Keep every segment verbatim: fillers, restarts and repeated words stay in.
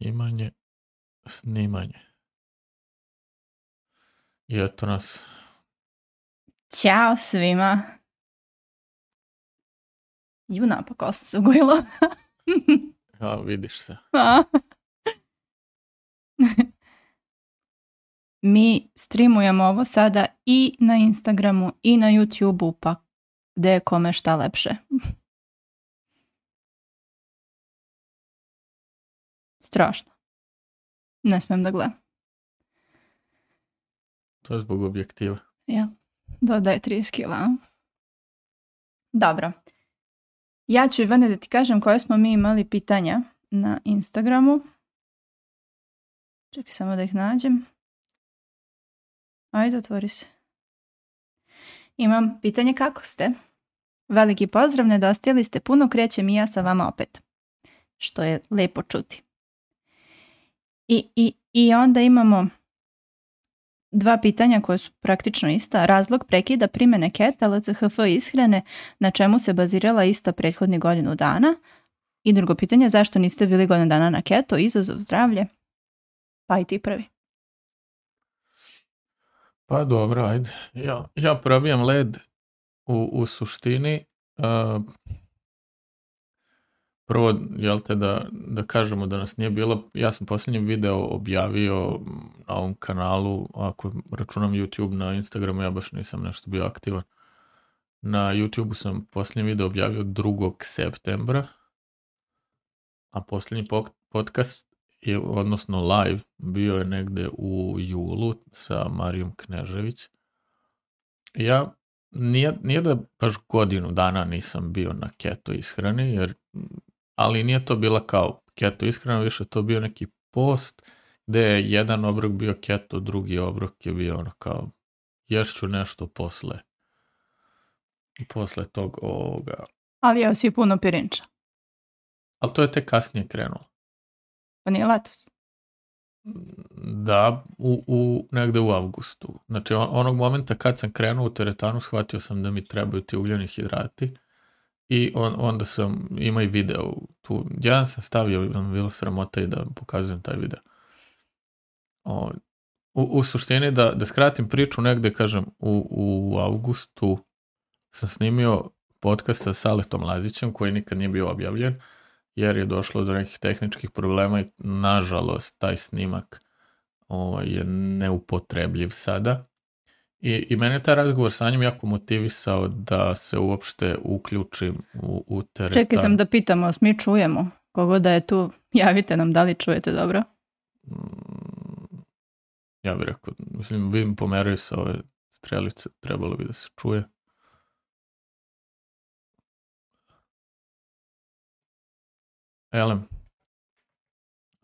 Snimanje, snimanje. I eto nas. Ćao svima. Ju, napakao sam se ugojila. Ja, vidiš se. Mi streamujemo ovo sada i na Instagramu i na YouTubeu, pa gde je kome šta lepše. Strašno. Ne smijem da gledam. To je zbog objektiva. Jel? Dodaje trideset kila. Dobro. Ja ću, Ivane, da ti kažem koje smo mi imali pitanja na Instagramu. Čekaj samo da ih nađem. Ajde, otvori se. Imam pitanje kako ste. Veliki pozdrav, nedostajali ste puno, krećem i ja sa vama opet. Što je lepo čuti. I, i, i onda imamo dva pitanja koje su praktično ista. Razlog prekida primjene keta, L C H F ishrane, na čemu se bazirala ista prethodnih godinu dana. I drugo pitanje, zašto niste bili godinu dana na keto, izazov zdravlje? Pa i ti prvi. Pa dobro, ajde. Ja, ja probijam led u, u suštini. Uh, prvo, jel te da, da kažemo da nas nije bilo, ja sam posljednji video objavio na ovom kanalu, ako računam YouTube, na Instagramu ja baš nisam nešto bio aktivan. Na YouTubeu sam posljednji video objavio drugog septembra, a posljednji podcast je, odnosno live, bio je negde u julu sa Marijom Knežević. Ja nije, nije da baš godinu dana nisam bio na keto ishrani, jer, ali nije to bila kao keto ishrana, više to bio neki post gde je jedan obrok bio keto, drugi obrok je bio ono kao ješću nešto posle posle tog ovoga. Ali jeo si puno pirinča. Ali to je tek kasnije krenulo. Pa nije letos? Da, u, u, negde u avgustu. Znači on, onog momenta kad sam krenuo u teretanu shvatio sam da mi trebaju ti ugljeni hidrati i on, onda sam, ima i video tu, jedan sam stavio, da mi bilo sramota i da pokazujem taj video. O, u, u suštini da, da skratim priču negde, kažem, u, u avgustu sam snimio podcast sa Saletom Lazićem koji nikad nije bio objavljen, jer je došlo do nekih tehničkih problema i nažalost taj snimak o, je neupotrebljiv sada. I, i mene je taj razgovor sa njim jako motivisao da se uopšte uključim u, u teretan. Čekaj sam da pitamo, mi čujemo? Kogo da je tu, javite nam da li čujete dobro? Mm, ja bih rekao, mislim, vidim pomeraju sa ove strelice, trebalo bi da se čuje. Elem,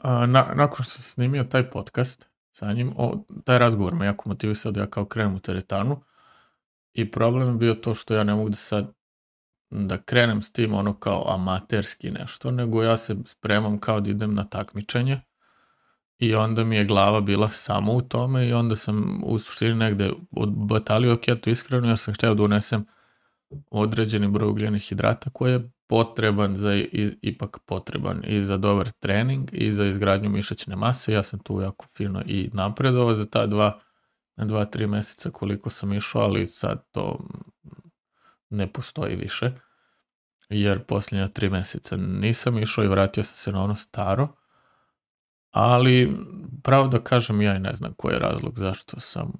na, nakon što sam snimio taj podcast sa njim, o, taj razgovor me jako motivisao da ja kao krenem u teretanu i problem je bio to što ja ne mogu da sad da krenem s tim ono kao amaterski nešto, nego ja se spremam kao da idem na takmičenje i onda mi je glava bila samo u tome i onda sam u suštini negde odbatalio keto ishranu, ja sam htio da unesem određeni broj ugljenih hidrata koji je potreban za, i, ipak potreban i za dobar trening i za izgradnju mišićne mase. Ja sam tu jako fino i napredovao za ta dva, dva, tri mjeseca koliko sam išao, ali sad to ne postoji više, jer posljednja tri mjeseca nisam išao i vratio sam se na ono staro, ali pravo da kažem ja i ne znam koji je razlog zašto sam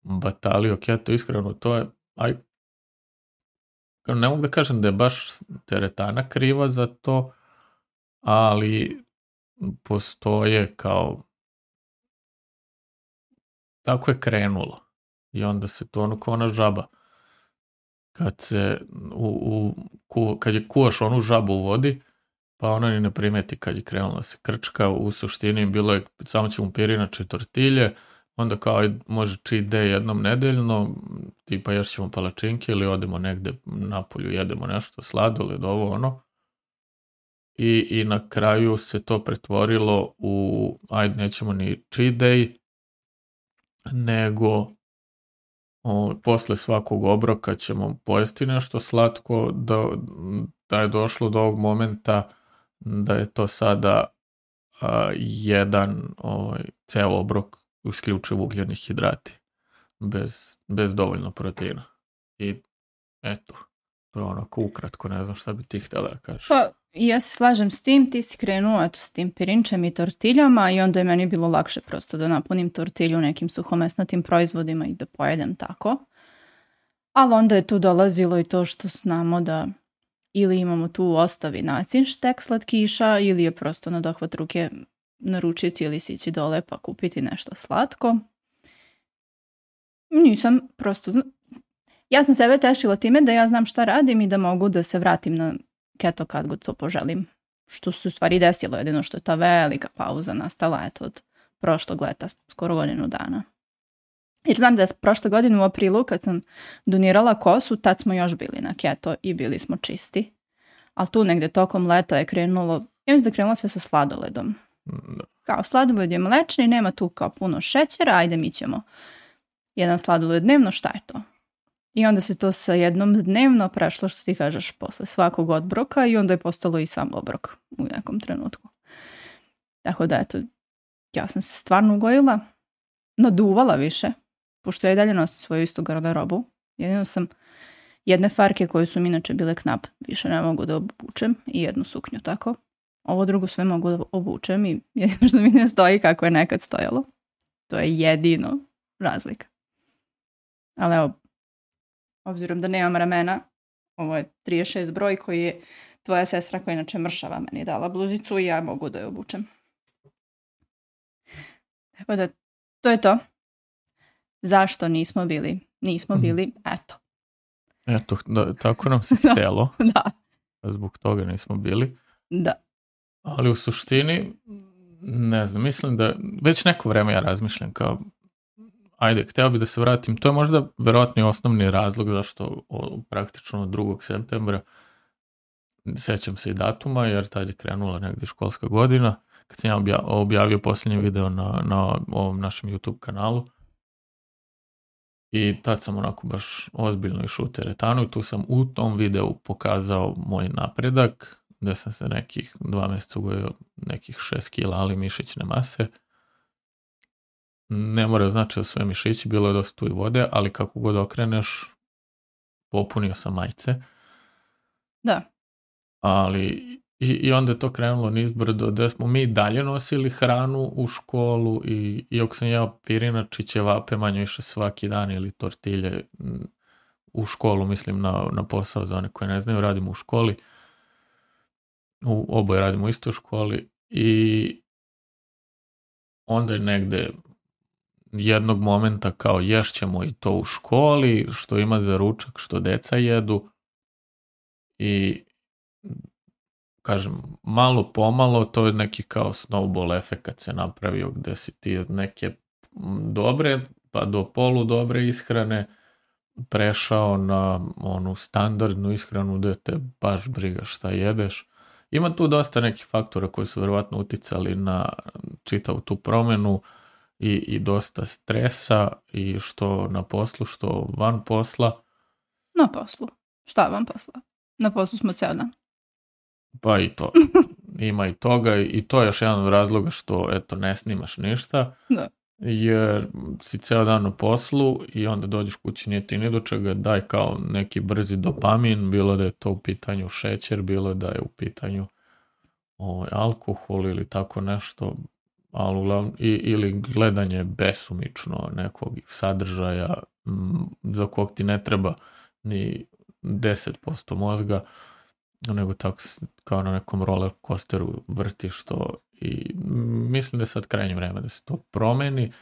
batalio keto ishranu, to je, aj, ne mogu da kažem da je baš teretana kriva za to, ali postoje kao, tako je krenulo i onda se to ono kao ona žaba. Kad se u, u, ku, kad je kuvaš onu žabu u vodi, pa ona ni ne primeti kad je krenula se krčka, u suštini bilo je samo ćemo pirinače tortilje, onda kao može cheat day jednom nedeljno, tipa još ćemo palačinke ili odemo negde napolju, jedemo nešto, sladoled, ovo ono. I, I na kraju se to pretvorilo u, ajde nećemo ni cheat day, nego o, posle svakog obroka ćemo pojesti nešto slatko, da, da je došlo do ovog momenta da je to sada a, jedan ovaj, ceo obrok isključivo ugljeni hidrati. Bez, bez dovoljno proteina. I eto, to je onako ukratko, ne znam šta bi ti htjela da kažeš. Pa, ja se slažem s tim, ti si krenuo eto, s tim pirinčem i tortiljama i onda je meni bilo lakše prosto da napunim tortilju nekim suhomesnatim proizvodima i da pojedem tako. Ali onda je tu dolazilo i to što znamo da ili imamo tu u ostavi nacinštek slatkiša ili je prosto na dohvat ruke naručiti ili sići dole pa kupiti nešto slatko. Nisam prosto... Ja sam sebe tešila time da ja znam šta radim i da mogu da se vratim na keto kad god to poželim. Što se u stvari desilo, jedino što je ta velika pauza nastala eto, od prošlog leta, skoro godinu dana. Jer znam da je prošle godine u aprilu kad sam donirala kosu, tad smo još bili na keto i bili smo čisti. Ali tu negde tokom leta je krenulo, ja mislim da je krenulo sve sa sladoledom. Kao sladoled je mlečni, nema tu kao puno šećera, ajde mi ćemo jedan sladoled dnevno, šta je to? I onda se to sa jednom dnevno prešlo, što ti kažeš, posle svakog obroka i onda je postalo i sam obrok u nekom trenutku. Tako da, eto, ja sam se stvarno ugojila, naduvala više, pošto ja i dalje nosim svoju istu garderobu. Jedino sam jedne farke koje su mi inače bile knap, više ne mogu da obučem i jednu suknju tako. Ovo drugo sve mogu da obučem i jedino što mi ne stoji kako je nekad stojalo. To je jedino razlika. Ali evo, obzirom da nemam ramena, ovo je trideset šest broj koji je tvoja sestra koja inače mršava meni dala bluzicu i ja mogu da je obučem. Tako da, to je to. Zašto nismo bili? Nismo bili, eto. Eto, da, tako nam se htjelo. Da. Zbog toga nismo bili. Da. Ali u suštini, ne znam, mislim da već neko vreme ja razmišljam kao ajde, htio bi da se vratim. To je možda verovatno i osnovni razlog zašto o, praktično od drugog septembra sećam se i datuma, jer tad je krenula negdje školska godina, kad sam ja obja, objavio posljednji video na, na ovom našem YouTube kanalu. I tad sam onako baš ozbiljno išao u teretanu i tu sam u tom videu pokazao moj napredak, gdje sam se nekih dva mjeseca ugojio nekih šest kila, ali mišićne mase. Ne mora znači da sve mišići, bilo je dosta tu i vode, ali kako god okreneš, popunio sam majice. Da. Ali i, i onda je to krenulo nizbrdo, da smo mi dalje nosili hranu u školu i iako sam jeo pirinač i ćevape manje više svaki dan ili tortilje u školu, mislim na, na posao za one koje ne znaju, radimo u školi. U, oboje radimo u istoj školi i onda je negde jednog momenta kao ješćemo i to u školi, što ima za ručak, što deca jedu i kažem, malo pomalo to je neki kao snowball efekt se napravio gde si ti neke dobre pa do polu dobre ishrane prešao na onu standardnu ishranu gde te baš briga šta jedeš. Ima tu dosta nekih faktora koji su verovatno uticali na čitavu tu promenu i, i dosta stresa i što na poslu, što van posla. Na poslu. Šta van posla? Na poslu smo ceo dan. Pa i to. Ima i toga i to je još jedan od razloga što eto ne snimaš ništa. Da. Jer si ceo dan na poslu i onda dođeš kući, nije ti ni do čega, daj kao neki brzi dopamin, bilo da je to u pitanju šećer, bilo da je u pitanju ovaj, alkohol ili tako nešto, ali uglavnom, i, ili gledanje besumično nekog sadržaja m, za kog ti ne treba ni deset posto mozga, nego tako kao na nekom roller coasteru vrtiš to i mislim da je sad krajnje vreme da se to promeni.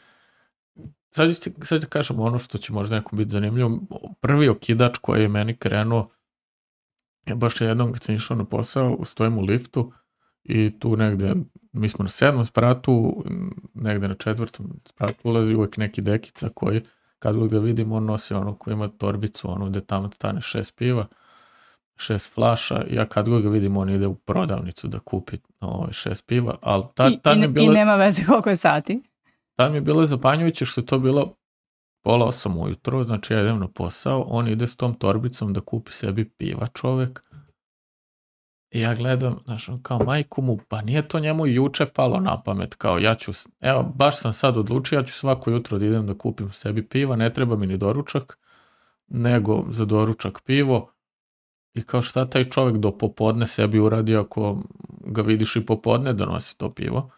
Sad ću, sad ću kažem ono što će možda nekom biti zanimljivo. Prvi okidač koji je meni krenuo je baš jednom kad sam išao na posao, stojim u liftu i tu negde, mi smo na sedmom spratu, negde na četvrtom spratu ulazi uvijek neki dekica koji kad ga vidim on nosi ono koji ima torbicu, ono gde tamo stane šest piva, šest flaša, ja kad ga vidim on ide u prodavnicu da kupi ovaj, šest piva, ali tad, tad I, mi je bilo, i nema veze koliko je sati. Tad mi je bilo zapanjujuće što je to bilo pola osam ujutro, znači ja idem na posao, on ide s tom torbicom da kupi sebi piva čovek I ja gledam, znaš, kao majku mu, pa nije to njemu juče palo na pamet, kao ja ću, evo, baš sam sad odlučio, ja ću svako jutro da idem da kupim sebi piva, ne treba mi ni doručak, nego za doručak pivo. I kao šta taj čovjek do popodne sebi uradi ako ga vidiš i popodne da nosi to pivo.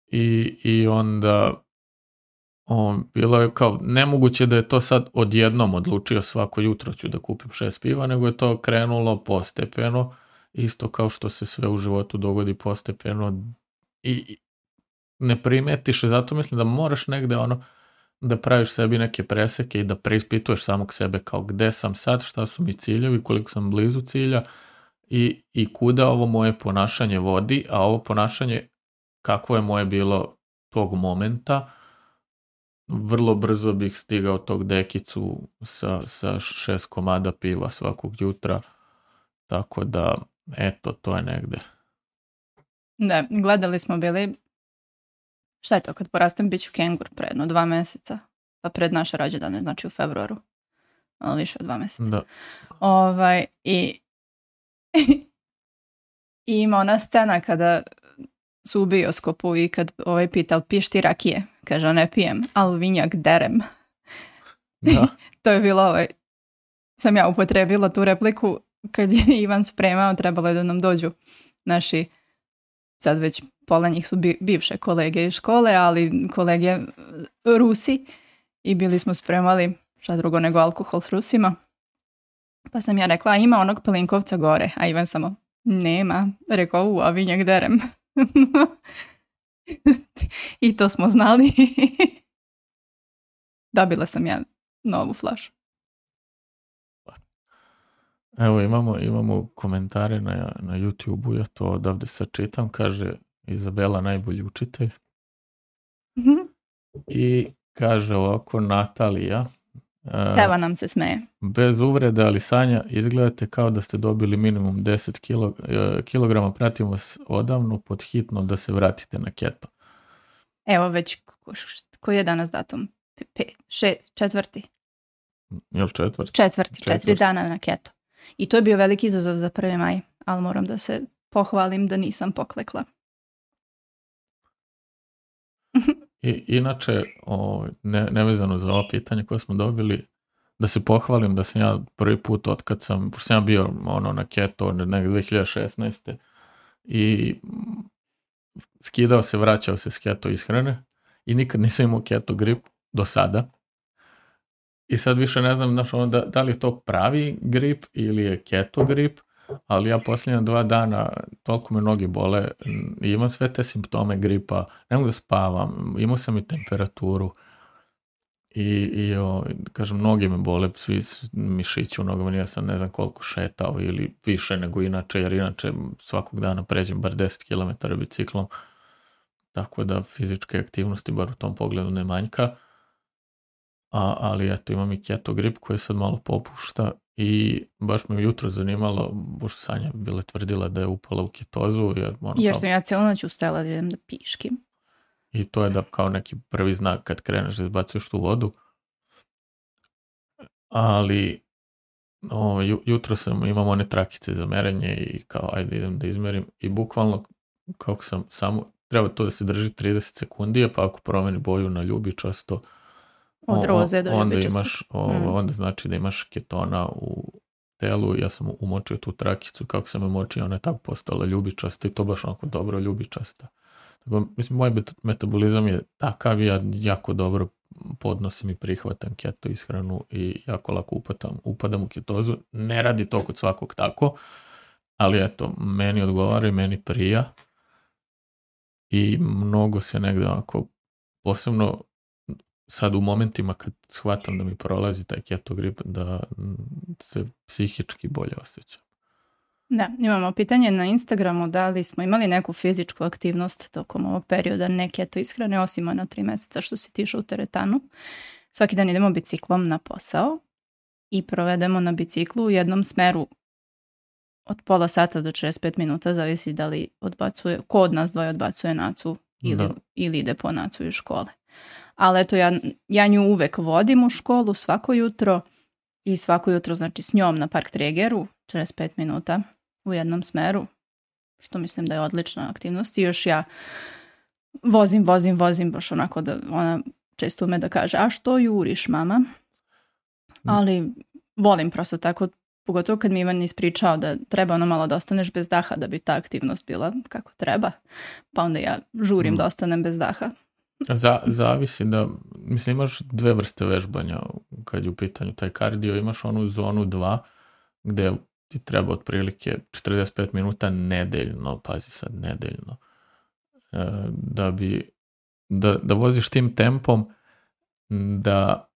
I, i onda on, bilo je kao nemoguće da je to sad odjednom odlučio svako jutro ću da kupim šest piva, nego je to krenulo postepeno, isto kao što se sve u životu dogodi postepeno i ne primetiš, zato mislim da moraš negde ono da praviš sebi neke preseke i da preispituješ samog sebe kao gde sam sad, šta su mi ciljevi, koliko sam blizu cilja i, i kuda ovo moje ponašanje vodi, a ovo ponašanje kakvo je moje bilo tog momenta, vrlo brzo bih stigao tog dekicu sa, sa šest komada piva svakog jutra, tako da eto, to je negde. Da, gledali smo bili, šta je to, kad porastem bit ću kengur pre jedno dva meseca, pa pred naše rođendane, znači u februaru, ali više od dva meseca. Da. Ovaj, i, i ima ona scena kada su u bioskopu i kad ovaj pita, ali piješ ti rakije? Kaže, ne pijem, ali vinjak derem. Da. To je bilo ovaj, sam ja upotrebila tu repliku kad je Ivan spremao, trebalo je da nam dođu naši, sad već pola njih su bi, bivše kolege iz škole, ali kolege Rusi i bili smo spremali šta drugo nego alkohol s Rusima. Pa sam ja rekla, ima onog pelinkovca gore, a Ivan samo, nema. Rekao, u, a vinjak derem. I to smo znali. Dobila sam ja novu flašu. Evo imamo, imamo komentare na, na YouTube-u, ja to odavde sad čitam, kaže Izabela najbolji učitelj. Mm-hmm. I kaže ovako Natalija. Evo nam se smeje. Bez uvrede, ali Sanja, izgledate kao da ste dobili minimum deset kilograma, pratimo vas odavno, pod hitno da se vratite na keto. Evo već, ko, koji je danas datum? Pe, šest, četvrti. Jel četvrti? Četvrti, četiri četvrti. Dana na keto. I to je bio veliki izazov za prvi maj, ali moram da se pohvalim da nisam poklekla. I, inače, o, ne, nevezano za ovo pitanje koje smo dobili, da se pohvalim da sam ja prvi put otkad sam, pošto sam ja bio ono, na keto negdje dve hiljade šesnaeste. i skidao se, vraćao se s keto ishrane i nikad nisam imao keto grip do sada. I sad više ne znam, znaš, ono, da, da li je to pravi grip ili je keto grip, ali ja posljednja dva dana toliko me noge bole i imam sve te simptome gripa, ne mogu da spavam, imao sam i temperaturu i, i o, kažem, noge me bole, svi mišići u nogama, ja sam ne znam koliko šetao ili više nego inače, jer inače svakog dana pređem bar deset kilometara biciklom, tako da fizičke aktivnosti bar u tom pogledu ne manjka. A, ali eto, imam i keto grip koji sad malo popušta i baš me jutro zanimalo, pošto Sanja bila tvrdila da je upala u ketozu. Jer, ono, jer sam kao... ja cijelo noć ustajala da idem da piškim. I to je da kao neki prvi znak kad kreneš da izbacuješ tu vodu. Ali o, jutro sam, imam one trakice za merenje i kao ajde idem da izmerim i bukvalno kako sam samo, treba to da se drži trideset sekundi, pa ako promeni boju na ljubičasto, od roze do onda ljubičasto. imaš, o, mm. onda znači da imaš ketona u telu. Ja sam umočio tu trakicu, kako sam umočio, ona je tako postala ljubičasta i to baš onako dobro ljubičasta. Tako, mislim, moj metabolizam je takav, ja jako dobro podnosim i prihvatam keto ishranu i jako lako upadam, upadam u ketozu. Ne radi to kod svakog tako, ali eto, meni odgovara i meni prija i mnogo se negde onako, posebno sad u momentima kad shvatam da mi prolazi taj keto grip, da se psihički bolje osjećam. Da, imamo pitanje na Instagramu da li smo imali neku fizičku aktivnost tokom ovog perioda ne keto ishrane, osim na tri mjeseca što si tišao u teretanu. Svaki dan idemo biciklom na posao i provedemo na biciklu u jednom smeru od pola sata do šezdeset pet minuta, zavisi da li odbacuje, ko od nas dvoje odbacuje Nacu ili, ili ide po Nacu iz škole. Ali eto, ja, ja nju uvek vodim u školu svako jutro i svako jutro, znači s njom na Park Tregeru, šezdeset pet minuta u jednom smeru, što mislim da je odlična aktivnost. I još ja vozim, vozim, vozim, baš onako da ona često ume da kaže, a što juriš, mama? Ali volim prosto tako, pogotovo kad mi Ivan ispričao da treba ono malo da ostaneš bez daha da bi ta aktivnost bila kako treba, pa onda ja žurim mm. da ostanem bez daha. Za, zavisi da, mislim, imaš dve vrste vežbanja kad je u pitanju taj kardio, imaš onu zonu dva gde ti treba otprilike četrdeset pet minuta nedeljno, pazi sad, nedeljno, da bi, da, da voziš tim tempom da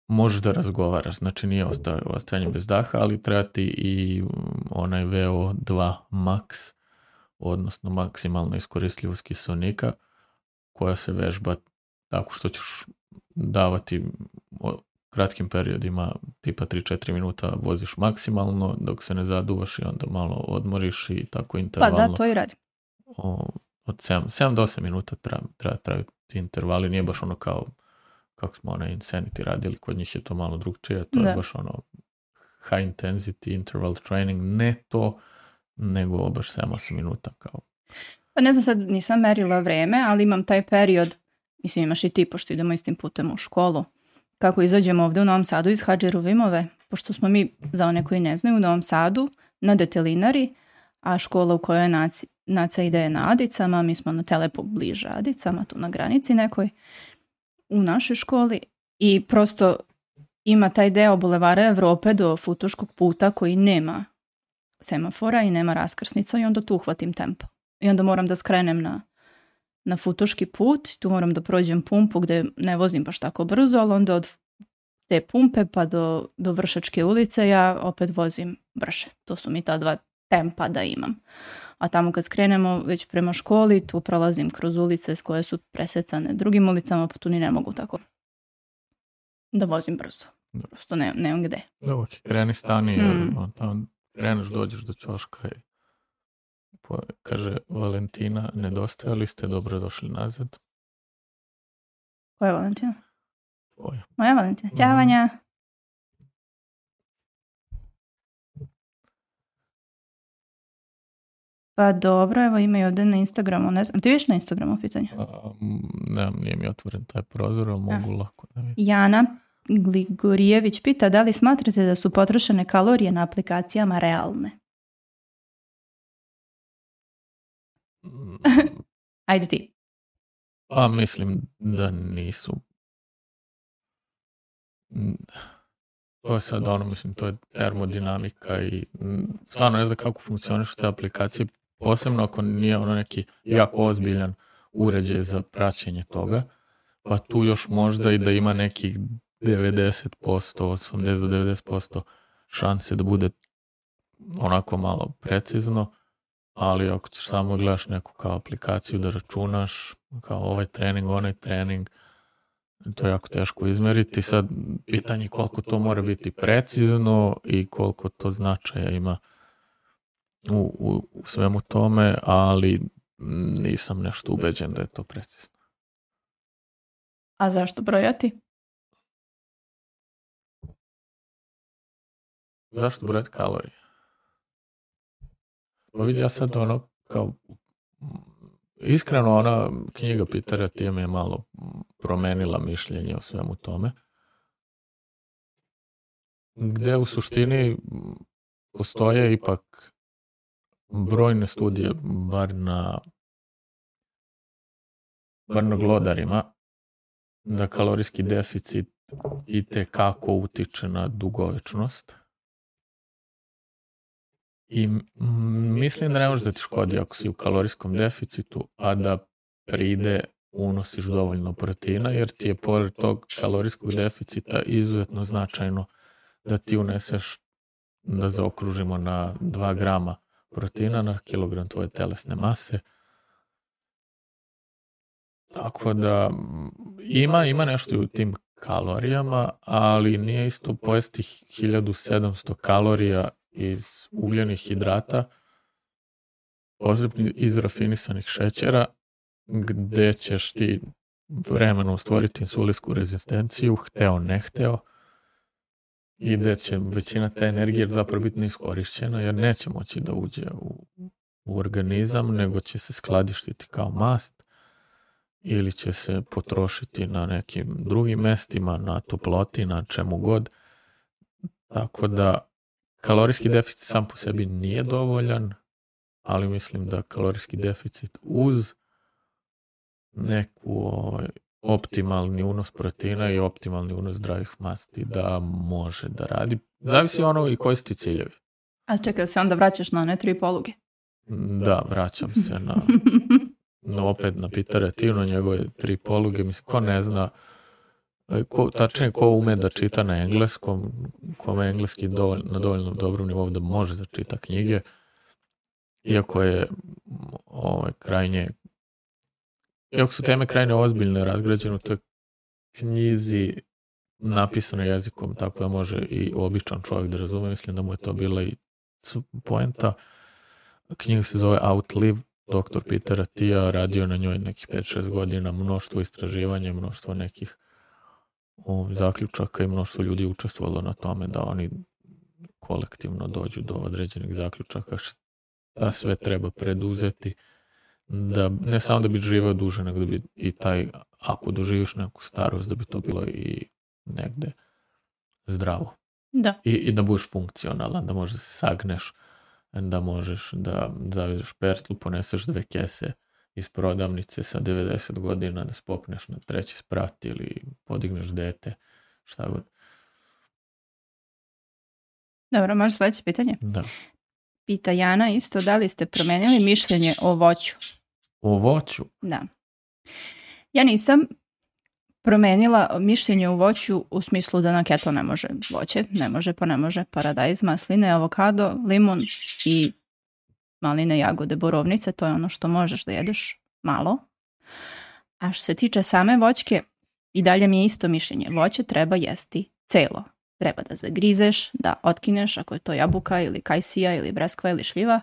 možeš da razgovaraš, znači nije ostajanje bez daha, ali treba ti i onaj V O dva max, odnosno maksimalna iskoristljivost kiseonika, koja se vežba tako što ćeš davati kratkim periodima, tipa tri do četiri minuta voziš maksimalno, dok se ne zaduvaš i onda malo odmoriš i tako intervalno. Pa da, to i radim. Od sedam do osam minuta treba, treba trajati intervali, nije baš ono kao kako smo onaj Insanity radili, kod njih je to malo drugčije, to da. je baš ono high intensity interval training, ne to, nego baš sedam do osam minuta kao. Pa ne znam, sad nisam merila vreme, ali imam taj period, mislim imaš i ti, pošto idemo istim putem u školu, kako izađemo ovdje u Novom Sadu iz Hadžeruvimove, pošto smo mi, za one koji ne znaju, u Novom Sadu na Detelinari, a škola u kojoj naci, naca ide na Adicama, mi smo na Telepu bliže Adicama, tu na granici nekoj, u našoj školi, i prosto ima taj deo Bulevara Evrope do Futoškog puta koji nema semafora i nema raskrsnica i onda tu uhvatim tempo. I onda moram da skrenem na, na Futoški put, tu moram da prođem pumpu gde ne vozim baš tako brzo, ali onda od te pumpe pa do, do Vršačke ulice ja opet vozim brže. To su mi ta dva tempa da imam. A tamo kad skrenemo već prema školi, tu prolazim kroz ulice s koje su presecane drugim ulicama, pa tu ni ne mogu tako da vozim brzo. Prosto ne, nemam gde. Da, ok, kreni stani, mm. on, kreneš, dođeš do ćoška i po, kaže Valentina, nedostajali ste, dobro došli nazad. Koja je Valentina? Tvoja. Moja Valentina. Ćao, Vanja. Pa dobro, evo ima i ovdje na Instagramu, ne znam, ti vidiš na Instagramu pitanje? A, ne, nije mi otvoren taj prozor, ali mogu A. lako da vidim. Jana Gligorijević pita da li smatrate da su potrošene kalorije na aplikacijama realne? Ajde ti. Pa mislim da nisu. To je sad ono, mislim, to je termodinamika i stvarno ne znam kako funkcionišu te aplikacije, posebno ako nije ono neki jako ozbiljan uređaj za praćenje toga, pa tu još možda i da ima nekih devedeset posto, osamdeset do devedeset posto šanse da bude onako malo precizno, ali ako ćeš samo gledaš neku kao aplikaciju da računaš, kao ovaj trening, onaj trening, to je jako teško izmeriti. Sad pitanje koliko to mora biti precizno i koliko to značaja ima u, u, u svemu tome, ali nisam nešto ubeđen da je to precizno. A zašto brojati? Zašto brojati kalorije? Pa vidi, ja sad ono kao iskreno ona knjiga Petera Thiel je malo promenila mišljenje o svemu tome. Gde u suštini postoje ipak brojne studije, bar na bar na glodarima, da kalorijski deficit i te kako utiče na dugovečnost. I mislim da ne može da ti škodi ako si u kalorijskom deficitu, a da pride unosiš dovoljno proteina, jer ti je pored tog kalorijskog deficita izuzetno značajno da ti uneseš, da zaokružimo na dva grama proteina na kilogram tvoje telesne mase. Tako da ima, ima nešto u tim kalorijama, ali nije isto pojesti hiljadu sedamsto kalorija iz ugljenih hidrata, posebno iz rafinisanih šećera, gde ćeš ti vremenom stvoriti insulinsku rezistenciju, hteo ne hteo, i da će većina te energije zapravo biti neiskorišćena jer neće moći da uđe u, u organizam, nego će se skladištiti kao mast ili će se potrošiti na nekim drugim mestima, na toploti, na čemu god. Tako da kalorijski deficit sam po sebi nije dovoljan, ali mislim da kalorijski deficit uz neku ovaj, optimalni unos proteina i optimalni unos zdravih masti da može da radi. Zavisi ono i koji su ti ciljevi. A čekaj, se onda vraćaš na one tri poluge? Da, vraćam se na, na opet na Petera Thiel, na njegove tri poluge. Mislim, ko ne zna, ko, tačnije ko ume da čita na engleskom, kome je engleski dovolj, na dovoljno dobrom nivou da može da čita knjige, iako je ovaj, krajnje Iako su teme krajne ozbiljne, razgrađene u toj knjizi napisano jezikom, tako da može i običan čovjek da razume. Mislim da mu je to bila i poenta. Knjiga se zove Outlive, doktor Petera Thiela, radio na njoj nekih pet šest godina, mnoštvo istraživanja, mnoštvo nekih o, zaključaka i mnoštvo ljudi učestvovalo na tome da oni kolektivno dođu do određenih zaključaka šta sve treba preduzeti. Da, ne samo da bi živeo duže, nego da bi i taj, ako doživiš neku starost, da bi to bilo i negde zdravo. Da. I, i da budeš funkcionalan, da možeš da se sagneš, da možeš da zavezeš pertlu, poneseš dve kese iz prodavnice sa devedeset godina, da spopneš na treći sprat ili podigneš dete, šta god. Dobro, može sledeće pitanje? Da. Pita Jana isto, da li ste promenili mišljenje o voću? O voću? Da. Ja nisam promenila mišljenje o voću u smislu da na keto ne može voće. Ne može, pa ne može. Paradajz, masline, avokado, limun i maline, jagode, borovnice. To je ono što možeš da jedeš malo. A što se tiče same voćke, i dalje mi je isto mišljenje. Voće treba jesti celo. Treba da zagrizeš, da otkineš, ako je to jabuka ili kajsija ili breskva ili šljiva.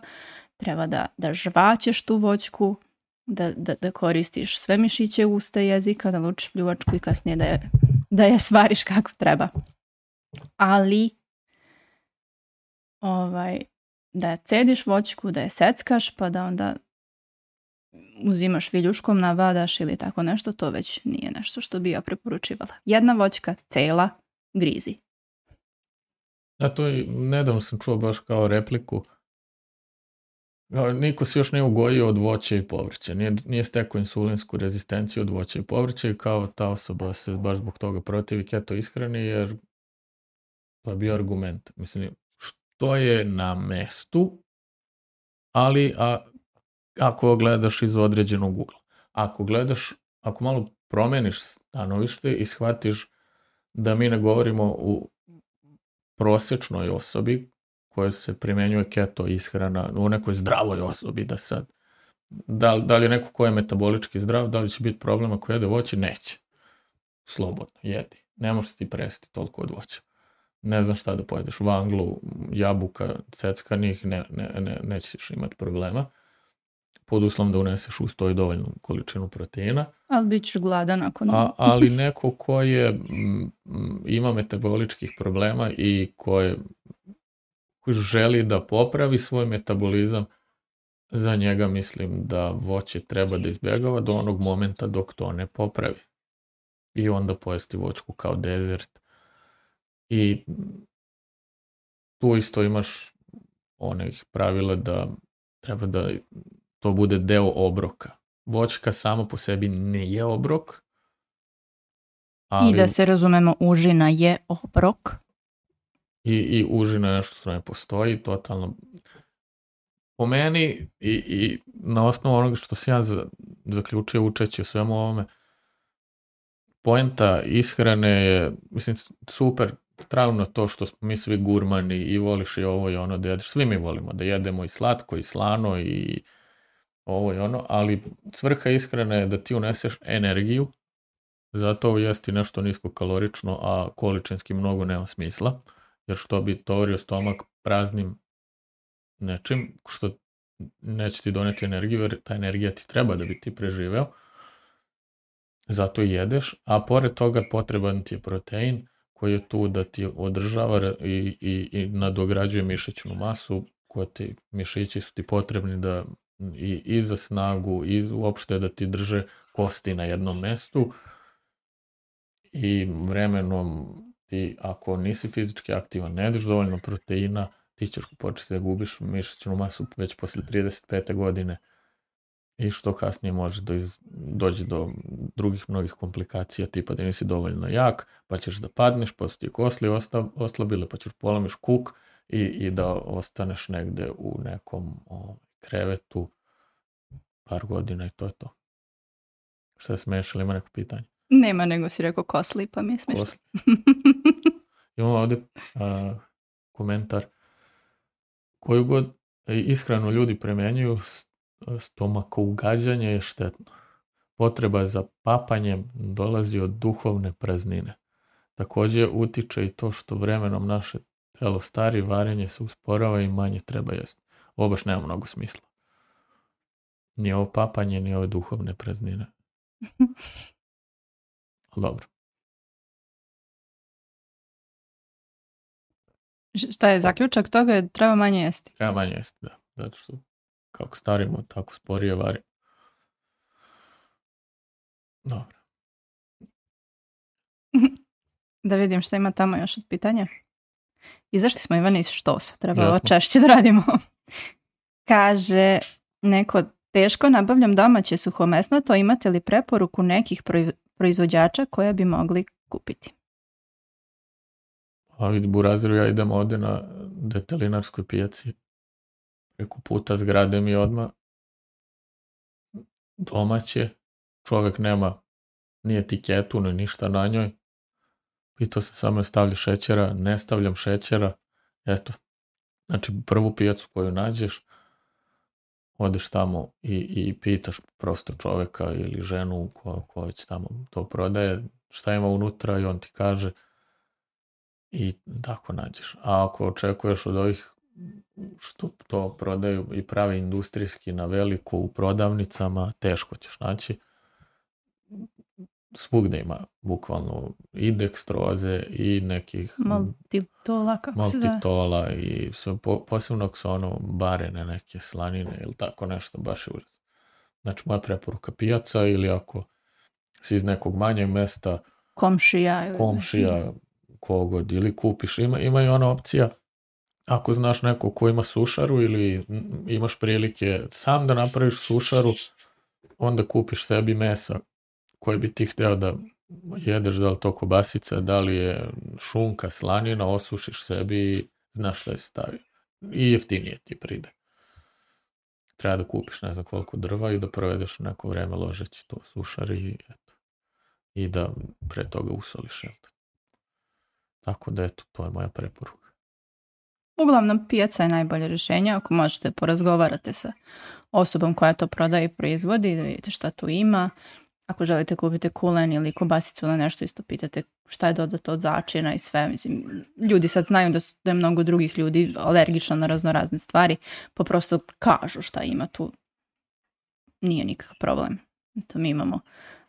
Treba da, da žvaćeš tu voćku, da, da, da koristiš sve mišiće usta i jezika, da lučiš pljuvačku i kasnije da je, da je svariš kako treba. Ali ovaj, da cediš voćku, da je seckaš, pa da onda uzimaš viljuškom, navadaš ili tako nešto, to već nije nešto što bi ja preporučivala. Jedna voćka, cela, grizi. Ja to i nedavno sam čuo baš kao repliku. Niko se još nije ugojio od voća i povrća. Nije, nije stekao insulinsku rezistenciju od voća i povrća i kao ta osoba se baš zbog toga protivi keto ishrani jer to je bio argument. Mislim, što je na mestu, ali a, ako gledaš iz određenog ugla. Ako gledaš, ako malo promeniš stanovište i shvatiš da mi ne govorimo u prosječnoj osobi koja se primenjuje keto ishrana, u nekoj zdravoj osobi, da sad, da, da li je neko ko je metabolički zdrav, da li će biti problem ako jede voće? Neće. Slobodno, jedi. Ne možeš ti presti toliko od voća. Ne znam šta da pojedeš, vanglu, jabuka, ceckanih, ne, ne, ne, nećeš imati problema. Pod uslovom da uneseš uz to i dovoljnu količinu proteina. Ali bit ćeš gladan ako ne. A, ali neko ko je, m, m, ima metaboličkih problema i ko je želi da popravi svoj metabolizam, za njega mislim da voće treba da izbjegava do onog momenta dok to ne popravi. I onda pojesti voćku kao dezert. I tu isto imaš onih pravila da treba da to bude deo obroka. Voćka samo po sebi ne je obrok. Ali... I da se razumemo, užina je obrok. I, i užina je nešto što ne postoji, totalno. Po meni i, i na osnovu onoga što sam ja za, zaključio učeći o svemu ovome, poenta ishrane je, mislim, super, stravno to što smo mi svi gurmani i voliš i ovo i ono da jedeš. Svi mi volimo da jedemo i slatko i slano i ovo i ono, ali svrha ishrane je da ti uneseš energiju, zato jesti nešto niskokalorično, a količinski mnogo nema smisla. Jer što bi tovario stomak praznim nečim, što neće ti doneti energiju, jer ta energija ti treba da bi ti preživeo. Zato i jedeš, a pored toga potreban ti je protein koji je tu da ti održava i, i, i nadograđuje mišićnu masu, koja ti, mišići su ti potrebni da i, i za snagu i uopšte da ti drže kosti na jednom mestu i vremenom ti, ako nisi fizički aktivan, ne jedeš dovoljno proteina, ti ćeš početi da gubiš mišićnu masu već posle trideset pete godine i što kasnije može da iz, dođe do drugih mnogih komplikacija, tipa da nisi dovoljno jak, pa ćeš da padneš, pa su ti kosli oslabile, pa ćeš polamiš kuk i, i da ostaneš negde u nekom o, krevetu par godina i to je to. Šta se smiješ, ili ima neko pitanje? Nema, nego si rekao kosli, pa mi je smiješno. Kosli. Imamo ovde a, komentar. Koju god ishranu ljudi primenjuju, stomakougađanje je štetno. Potreba za papanjem dolazi od duhovne praznine. Također utiče i to što vremenom naše telo stari, varenje se usporava i manje treba jesti. Ovo baš nema mnogo smisla. Ni ovo papanje, ni ove duhovne praznine. Dobro. Šta je zaključak toga? Treba manje jesti. Treba manje jesti, da. Zato što kako starimo, tako sporije vari. Dobro. Da vidim šta ima tamo još od pitanja. Izašli smo, Ivane, iz štosa. Treba ovo Jasno. češće da radimo. Kaže neko, teško nabavljam domaće suhomesnato, imate li preporuku nekih proizvođača koje bi mogli kupiti? A vidi, Buraziru, ja idem ovde na detelinarskoj pijaci. Preko puta zgrade mi odmah domaće. Čovek nema ni etiketu, ni ništa na njoj. Pitao se samo stavlja šećera, ne stavljam šećera. Eto, znači prvu pijacu koju nađeš, odeš tamo i, i pitaš prosto čoveka ili ženu ko, ko već tamo to prodaje, šta ima unutra i on ti kaže i tako nađeš. A ako očekuješ od ovih što to prodaju i prave industrijski na veliko u prodavnicama, teško ćeš naći. Svugde ima bukvalno i dekstroze i nekih maltitola, kako se zove? Maltitola i sve, po, posebno ako su ono barene neke slanine ili tako nešto, baš je užas. Znači moja preporuka pijaca ili ako si iz nekog manjeg mesta, komšija ili komšija, kogod, ili kupiš, ima, ima i ona opcija. Ako znaš neko ko ima sušaru ili imaš prilike sam da napraviš sušaru, onda kupiš sebi mesa koje bi ti hteo da jedeš, da li to kobasica, da li je šunka, slanina, osušiš sebi i znaš šta je stavio. I jeftinije ti pride. Treba da kupiš ne znam koliko drva i da provedeš neko vreme ložeći to sušari i eto. I da pre toga usoliš. Eto. Tako da eto, to je moja preporuka. Uglavnom, pijaca je najbolje rješenje. Ako možete, porazgovarate sa osobom koja to prodaje i proizvodi, da vidite šta tu ima. Ako želite kupiti kulen ili kobasicu ili nešto, isto pitate šta je dodato od začina i sve. Mislim, ljudi sad znaju da, su, da je mnogo drugih ljudi alergično na razno razne stvari, pa prosto kažu šta ima tu. Nije nikakav problem. To mi imamo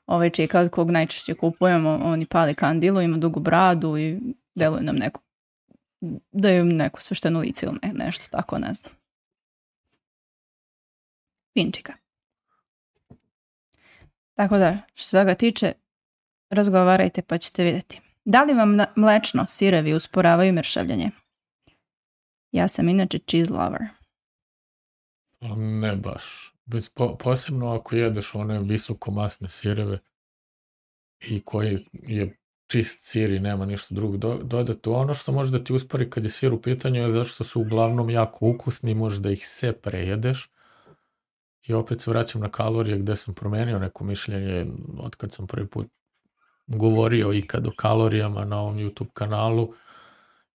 ovaj čika od kog najčešće kupujemo, oni pali kandilu, ima dugu bradu i deluje nam neko, da je neko svešteno lice ili ne, nešto tako, ne znam. Pinčika. Tako da, što se toga tiče, razgovarajte pa ćete vidjeti. Da li vam mlečno sirevi usporavaju mršavljanje? Ja sam inače cheese lover. Ne baš. Bez, po, posebno ako jedeš one visokomasne sireve i koji je čist sir i nema ništa drugo do, dodati. Ono što može da ti uspori kad je sir u pitanju je zato što su uglavnom jako ukusni, možeš da ih sve prejedeš. I opet se vraćam na kalorije gde sam promenio neko mišljenje od kad sam prvi put govorio ikad o kalorijama na ovom YouTube kanalu.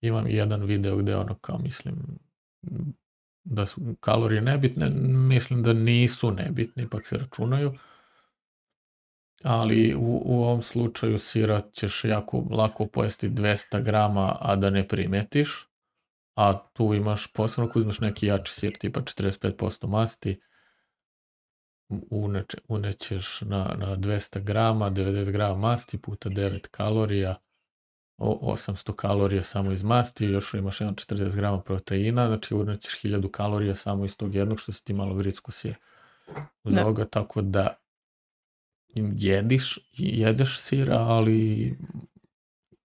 Imam jedan video gde ono kao mislim da su kalorije nebitne, mislim da nisu nebitni, ipak se računaju. Ali u, u ovom slučaju sira ćeš jako lako pojesti dvesta grama, a da ne primetiš. A tu imaš, posebno ako uzmeš neki jači sir, tipa četrdeset pet posto masti, uneče, unećeš na, na dvesta grama, devedeset grama masti puta devet kalorija osamsto kalorija samo iz masti, još imaš jedan četrdeset grama proteina, znači urnećeš hiljadu kalorija samo iz tog jednog, što si ti malo gricku sir uz Da. ovoga, tako da jediš, jedeš sira, ali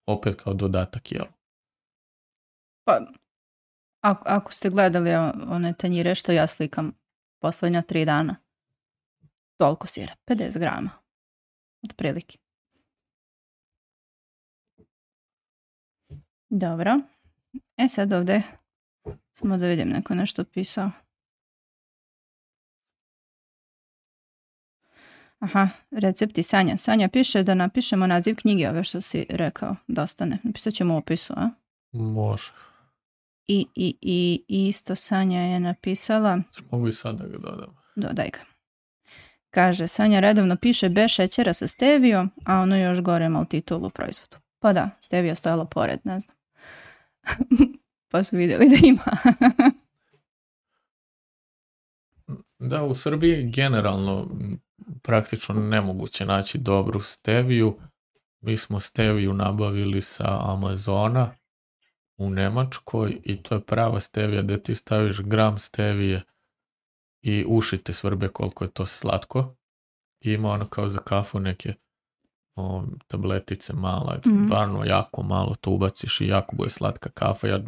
opet kao dodatak jel. Pa, ako, ako ste gledali one tanjire što ja slikam posljednja tri dana, toliko sira, pedeset grama, otprilike. Dobro. E sad ovdje, samo da vidim, neko nešto pisao. Aha, recepti Sanja. Sanja piše da napišemo naziv knjige, ove što si rekao, da ostane. Napisat ćemo u opisu, a? Može. I, i, i, i isto Sanja je napisala... Mogu i sad da ga dodam. Dodaj ga. Kaže, Sanja redovno piše bez šećera sa stevijom, a ono još gore maltitol u proizvodu. Pa da, stevija stojala pored, ne znam. Pa su vidjeli da ima. Da, u Srbiji generalno praktično nemoguće naći dobru steviju. Mi smo steviju nabavili sa Amazona u Nemačkoj i to je prava stevija gdje ti staviš gram stevije i uši te svrbe koliko je to slatko. I ima ono kao za kafu neke o, tabletice mala, mm. stvarno jako malo to ubaciš i jako bude slatka kafa. Ja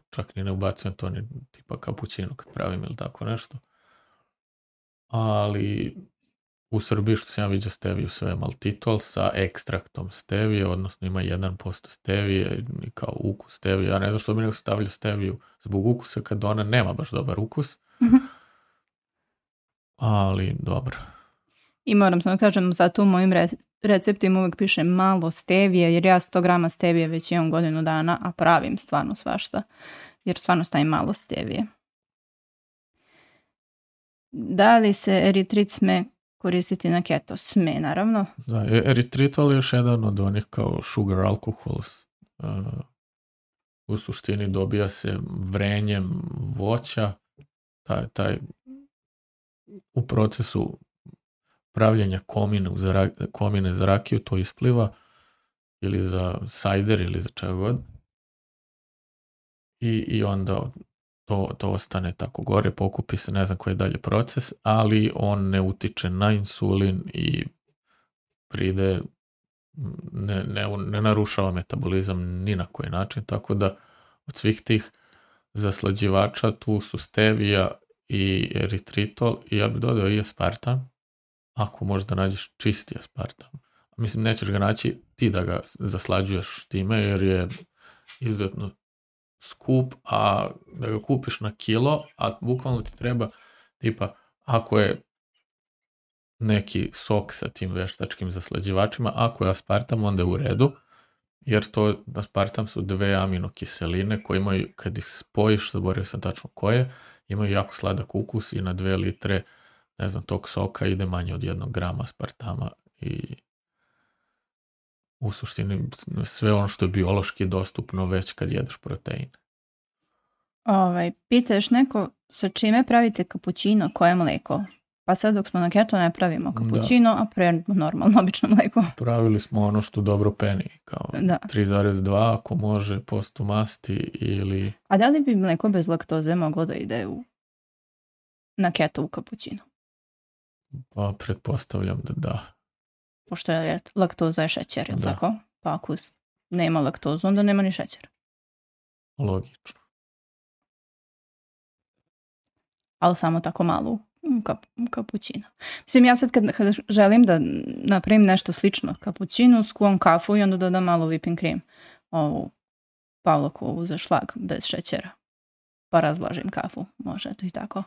čak ni ne ubacujem to ni tipa kapućino kad pravim ili tako nešto. Ali u Srbiji što sam ja vidio steviju sve maltitol sa ekstraktom stevije, odnosno ima jedan posto stevije i kao ukus stevije. Ja ne znam što bi nego stavljaju steviju zbog ukusa kad ona nema baš dobar ukus. Ali dobro. I moram samo kažem, zato u mojim re- receptima uvijek piše malo stevije, jer ja sto grama stevije već imam godinu dana, a pravim stvarno svašta, jer stvarno stavim malo stevije. Da li se eritrit sme koristiti na keto? Sme, naravno. Da, eritritol je još jedan od onih kao sugar alcohol. Uh, u suštini dobija se vrenjem voća, taj, taj u procesu pravljenja komine, za, komine za rakiju to ispliva ili za sajder ili za čega god. I, i onda to, to ostane tako gore, pokupi se, ne znam koji je dalje proces, ali on ne utiče na insulin i pride, ne, ne, ne narušava metabolizam ni na koji način, tako da od svih tih zaslađivača tu su stevija i eritritol i ja bih dodao i aspartam, ako možda nađeš čisti aspartam. Mislim, nećeš ga naći ti da ga zaslađuješ time, jer je izuzetno skup, a da ga kupiš na kilo, a bukvalno ti treba, tipa, ako je neki sok sa tim veštačkim zaslađivačima, ako je aspartam, onda je u redu, jer to, aspartam su dve aminokiseline koje imaju, kad ih spojiš, zaboravio sam tačno koje, imaju jako sladak ukus i na dve litre, ne znam, tog soka ide manje od jednog grama aspartama i u suštini sve ono što je biološki dostupno već kad jedeš protein. Ovaj, pitaš neko sa čime pravite kapućino, koje mleko? Pa sad dok smo na keto ne pravimo kapućino, da. A pre normalno, obično mleko. Pravili smo ono što dobro peni, kao da. tri zarez dva ako može, posto masti ili... A da li bi mleko bez laktoze moglo da ide u... na keto u kapućino? Pa pretpostavljam da da. Pošto je laktoza je šećer, ili tako? Pa ako nema laktozu, onda nema ni šećera. Logično. Ali samo tako malo kap, kapućino. Mislim, ja sad kad, kad želim da napravim nešto slično kapućinu, skuvam kafu i onda dodam malo whipping cream. Ovu Pavlokovu za šlag bez šećera. Pa razvlažim kafu. Može to i tako.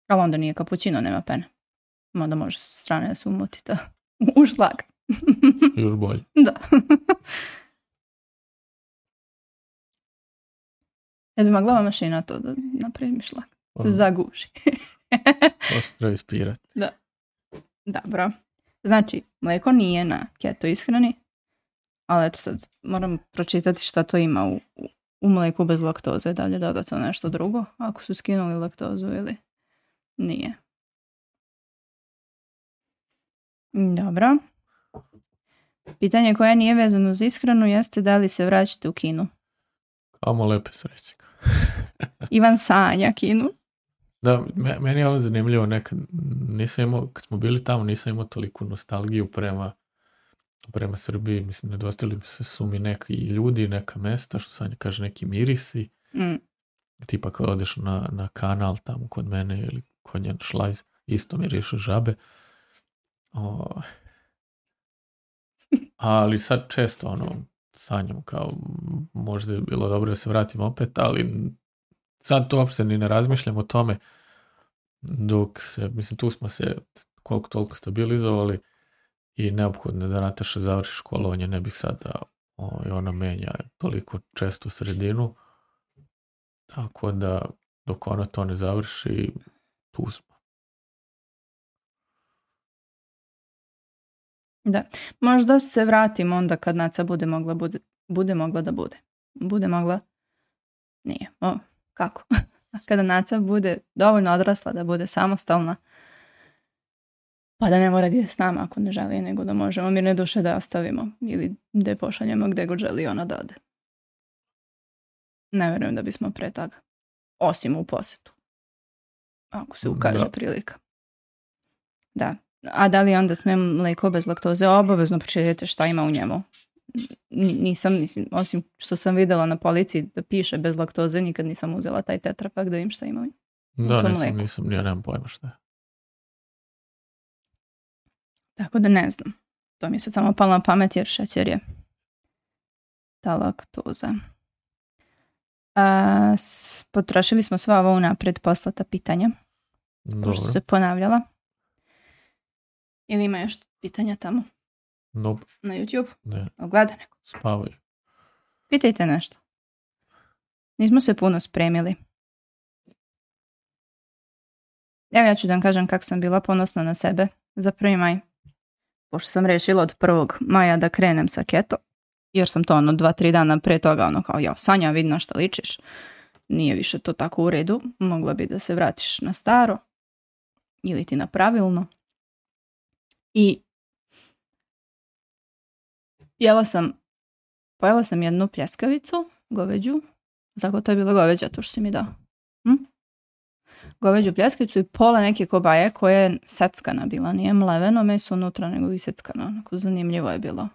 Ali onda nije kapućino, nema pene. Onda može s strane da se umoti to u šlag. Još bolje. Da. Ja bi mogla mašina to da napravim šlag. Se zaguši. Ostro ispirati. Da. Dobro. Znači, mlijeko nije na keto ishrani, ali eto sad moram pročitati šta to ima u, u mlijeku bez laktoze. Da li je dodato nešto drugo, ako su skinuli laktozu ili nije. Dobro. Pitanje koje nije vezano uz ishranu jeste da li se vraćate u Kinu. Kamo lepe sreće. Ivan sanja Kinu. Da, meni je ovo zanimljivo nekad. Nisam imao, kad smo bili tamo, nisam imao toliku nostalgiju prema prema Srbiji. Mislim, nedostali su mi neki ljudi, neka mesta, što Sanja kaže, neki mirisi. Mm. Tipa kad odeš na, na kanal tamo kod mene ili kod njen šlajz, isto miriše žabe. O, ali sad često ono, sanjam kao možda je bilo dobro da se vratim opet, ali sad to uopšte ni ne razmišljam o tome dok se, mislim tu smo se koliko toliko stabilizovali i neophodno da Nataša završi školovanje, ne bih sad da o, ona menja toliko često sredinu, tako da dok ona to ne završi, tu smo. Da, možda se vratimo onda kad Naca bude mogla, bude, bude mogla da bude. Bude mogla, nije, o, kako? Kada Naca bude dovoljno odrasla da bude samostalna, pa da ne mora da je s nama ako ne želi, nego da možemo mirne duše da je ostavimo ili da je pošaljemo gde god želi ona da ode. Ne verujem da bismo pre toga. Osim u posetu. Ako se ukaže da. Prilika. Da. A da li onda sme mleko bez laktoze? Obavezno pročitajte šta ima u njemu. Nisam, mislim, osim što sam videla na policiji da piše bez laktoze, nikad nisam uzela taj tetrapak da im šta ima u njemu. Da, nisam, mleku. nisam, ja nemam pojma šta je. Tako da ne znam. To mi je sad samo palo na pamet jer šećer je ta laktoza. A, s, potrošili smo sva ovo unapred poslata pitanja. Dobro. Pošto se ponavljala. Ili ima još pitanja tamo? Nope. Na YouTube? Ne. Gleda neko? Spavaj. Pitajte nešto. Nismo se puno spremili. Evo ja ću da vam kažem kako sam bila ponosna na sebe za prvi maj. Pošto sam rešila od prvog maja da krenem sa keto. Jer sam to ono dva, tri dana pre toga ono kao ja, Sanja, vidi na šta ličiš. Nije više to tako u redu. Mogla bi da se vratiš na staro. Ili ti na pravilno. I jela sam, pojela sam jednu pljeskavicu, goveđu. Tako to je bila goveđa, to što si mi dao. Hm? Goveđu pljeskavicu i pola neke kobaje koja je seckana bila. Nije mleveno meso unutra, nego i seckano. Onako zanimljivo je bilo.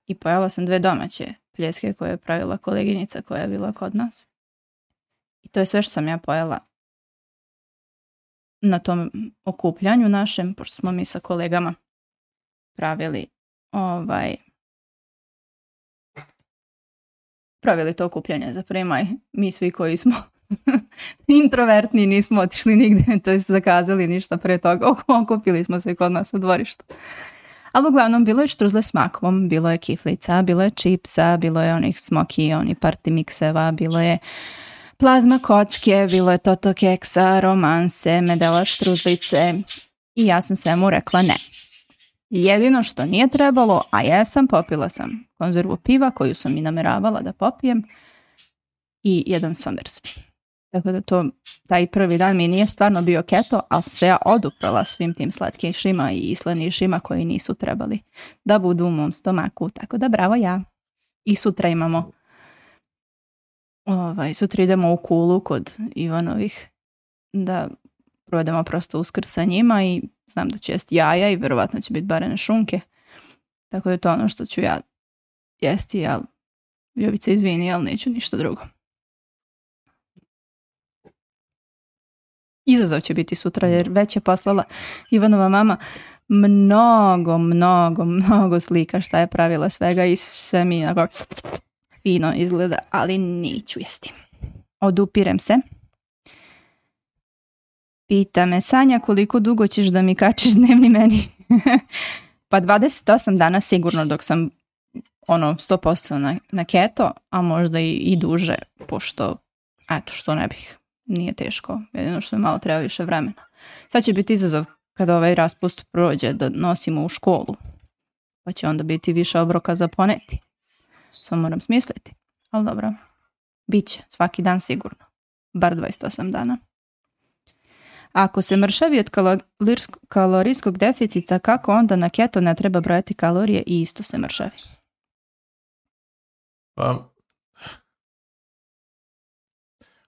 I pojela sam dve domaće pljeske koje je pravila koleginica koja je bila kod nas. I to je sve što sam ja pojela na tom okupljanju našem, pošto smo mi sa kolegama pravili ovaj pravili to okupljanje za prvi maj. Mi svi koji smo introvertni nismo otišli nigde, to je zakazali ništa pre toga. Okupili smo se kod nas u dvorištu. Ali uglavnom bilo je štruzle s makom, bilo je kiflica, bilo je čipsa, bilo je onih smoki, oni party mikseva, bilo je plazma kocke, bilo je toto keksa, romanse, medela štruzlice i ja sam svemu rekla ne. Jedino što nije trebalo, a jesam, popila sam konzervu piva koju sam i nameravala da popijem i jedan Somersby. Tako da to, taj prvi dan mi nije stvarno bio keto, ali se ja oduprala svim tim slatkišima i slanišima koji nisu trebali da budu u mom stomaku. Tako da bravo ja. I sutra imamo, ovaj, sutra idemo u Kulu kod Ivanovih da provedemo prosto Uskrs sa njima i znam da ću jesti jaja i verovatno će biti barene šunke. Tako da je to ono što ću ja jesti, ali Jovica izvini, ali neću ništa drugo. Izazov će biti sutra jer već je poslala Ivanova mama mnogo, mnogo, mnogo slika šta je pravila svega i sve mi onako fino izgleda, ali neću jesti. Odupirem se. Pita me Sanja koliko dugo ćeš da mi kačiš dnevni meni? Pa dvadeset osam dana sigurno dok sam ono sto posto na, na keto, a možda i, i duže, pošto eto što ne bih. Nije teško, jedino što je malo treba više vremena. Sad će biti izazov kada ovaj raspust prođe da nosimo u školu. Pa će onda biti više obroka za poneti. Samo moram smisliti. Ali dobro, bit će svaki dan sigurno. Bar dvadeset osam dana. Ako se mršavi od kalorijskog, kalorijskog deficita, kako onda na keto ne treba brojati kalorije i isto se mršavi? Pa,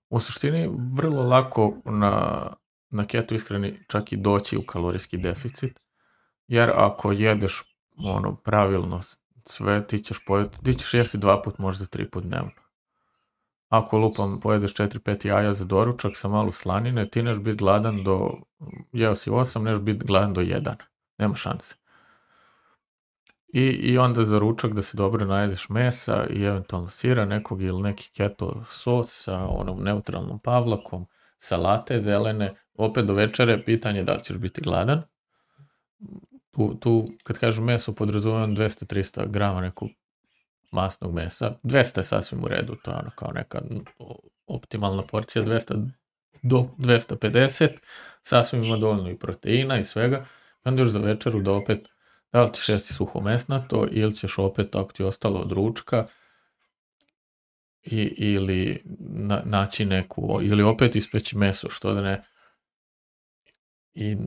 u suštini vrlo lako na, na keto ishrani čak i doći u kalorijski deficit, jer ako jedeš ono pravilno sve, ti ćeš, pojeti, ti ćeš jesti dva put, možda tri put dnevno. Ako lupam pojedeš četiri pet jaja za doručak sa malo slanine, ti neš biti gladan do, jeo si osam, neš biti gladan do jedan. Nema šanse. I, I onda za ručak da se dobro najedeš mesa i eventualno sira nekog ili neki keto sos sa onom neutralnom pavlakom, salate zelene, opet do večere pitanje da li ćeš biti gladan. Tu, tu kad kažem meso, podrazumijem dvesta do trista grama nekog masnog mesa. dvesta je sasvim u redu, to je ono kao neka optimalna porcija, dvesta do dvesta pedeset, sasvim ima dovoljno i proteina i svega. I onda još za večeru da opet, da li ćeš jesti suhomesnato ili ćeš opet, ako ti je ostalo od ručka, i, ili na, naći neku, ili opet ispeći meso, što da ne. I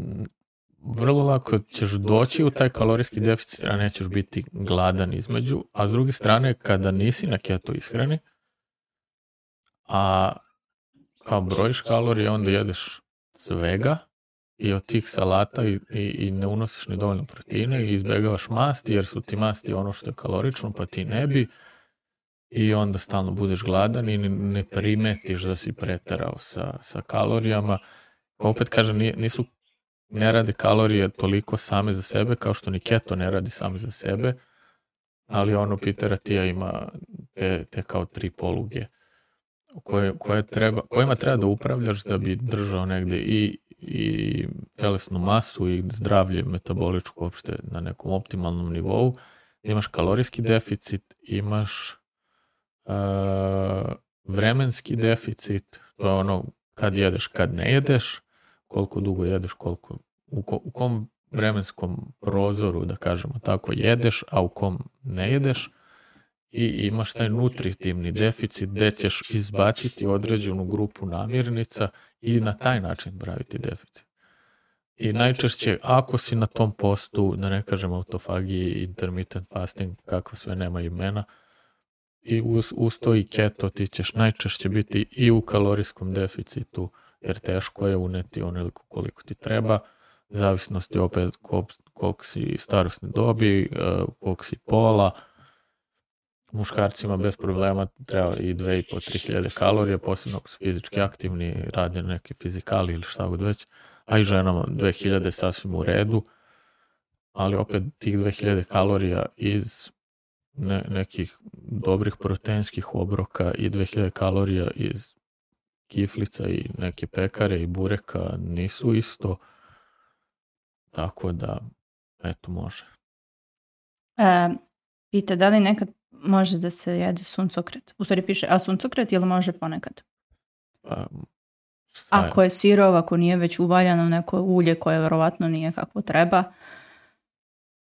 vrlo lako ćeš doći u taj kalorijski deficit, a nećeš biti gladan između, a s druge strane, kada nisi na keto ishrani, a kao brojiš kalorije, onda jedeš svega i od tih salata i, i, i ne unosiš ni dovoljno proteine i izbjegavaš masti, jer su ti masti ono što je kalorično, pa ti ne bi, i onda stalno budeš gladan i ne primetiš da si preterao sa, sa kalorijama. Opet kažem, nisu ne radi kalorije toliko same za sebe, kao što ni keto ne radi same za sebe, ali ono Peter Attia ima te, te kao tri poluge koje, koje treba, kojima treba da upravljaš da bi držao negde i, i telesnu masu i zdravlje metaboličko uopšte na nekom optimalnom nivou. Imaš kalorijski deficit, imaš uh, vremenski deficit, to je ono kad jedeš, kad ne jedeš, koliko dugo jedeš, koliko, u, ko, u kom vremenskom prozoru, da kažemo tako, jedeš, a u kom ne jedeš, i imaš taj nutritivni deficit gde ćeš izbaciti određenu grupu namirnica i na taj način praviti deficit. I najčešće, ako si na tom postu, da ne kažem autofagiji, intermittent fasting, kako sve nema imena, i uz, uz to i keto, ti ćeš najčešće biti i u kalorijskom deficitu, jer teško je uneti onoliko koliko ti treba, zavisnosti opet koliko si starosne dobi, koliko si pola. Muškarcima bez problema treba i dve i po tri hiljade kalorija, posebno ako su fizički aktivni, rade neke fizikali ili šta god već, a i ženama dve hiljade sasvim u redu, ali opet tih dve hiljade kalorija iz ne, nekih dobrih proteinskih obroka i dve hiljade kalorija iz kiflica i neke pekare i bureka nisu isto, tako da, eto, može. E, pita, da li nekad može da se jede suncokret? U stvari piše, a suncokret ili može ponekad? Pa, ako je, je sirov, ako nije već uvaljano neko ulje koje verovatno nije kako treba,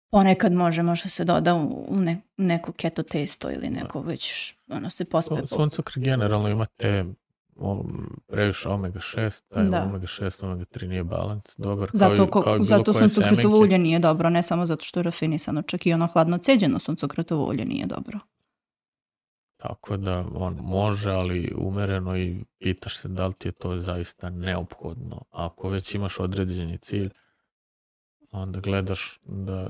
ponekad može, može se doda u ne, neko keto testo ili neko već, ono se pospe. Suncokret generalno ima te previše omega šest, taj da. omega šest, omega tri nije balans dobar. Zato, kao i, kao i zato suncokretovo ulje nije dobro, ne samo zato što je rafinisano, čak i ono hladno ceđeno suncokretovo ulje nije dobro. Tako da on može, ali umereno, i pitaš se da li ti je to zaista neophodno. Ako već imaš određeni cilj, onda gledaš da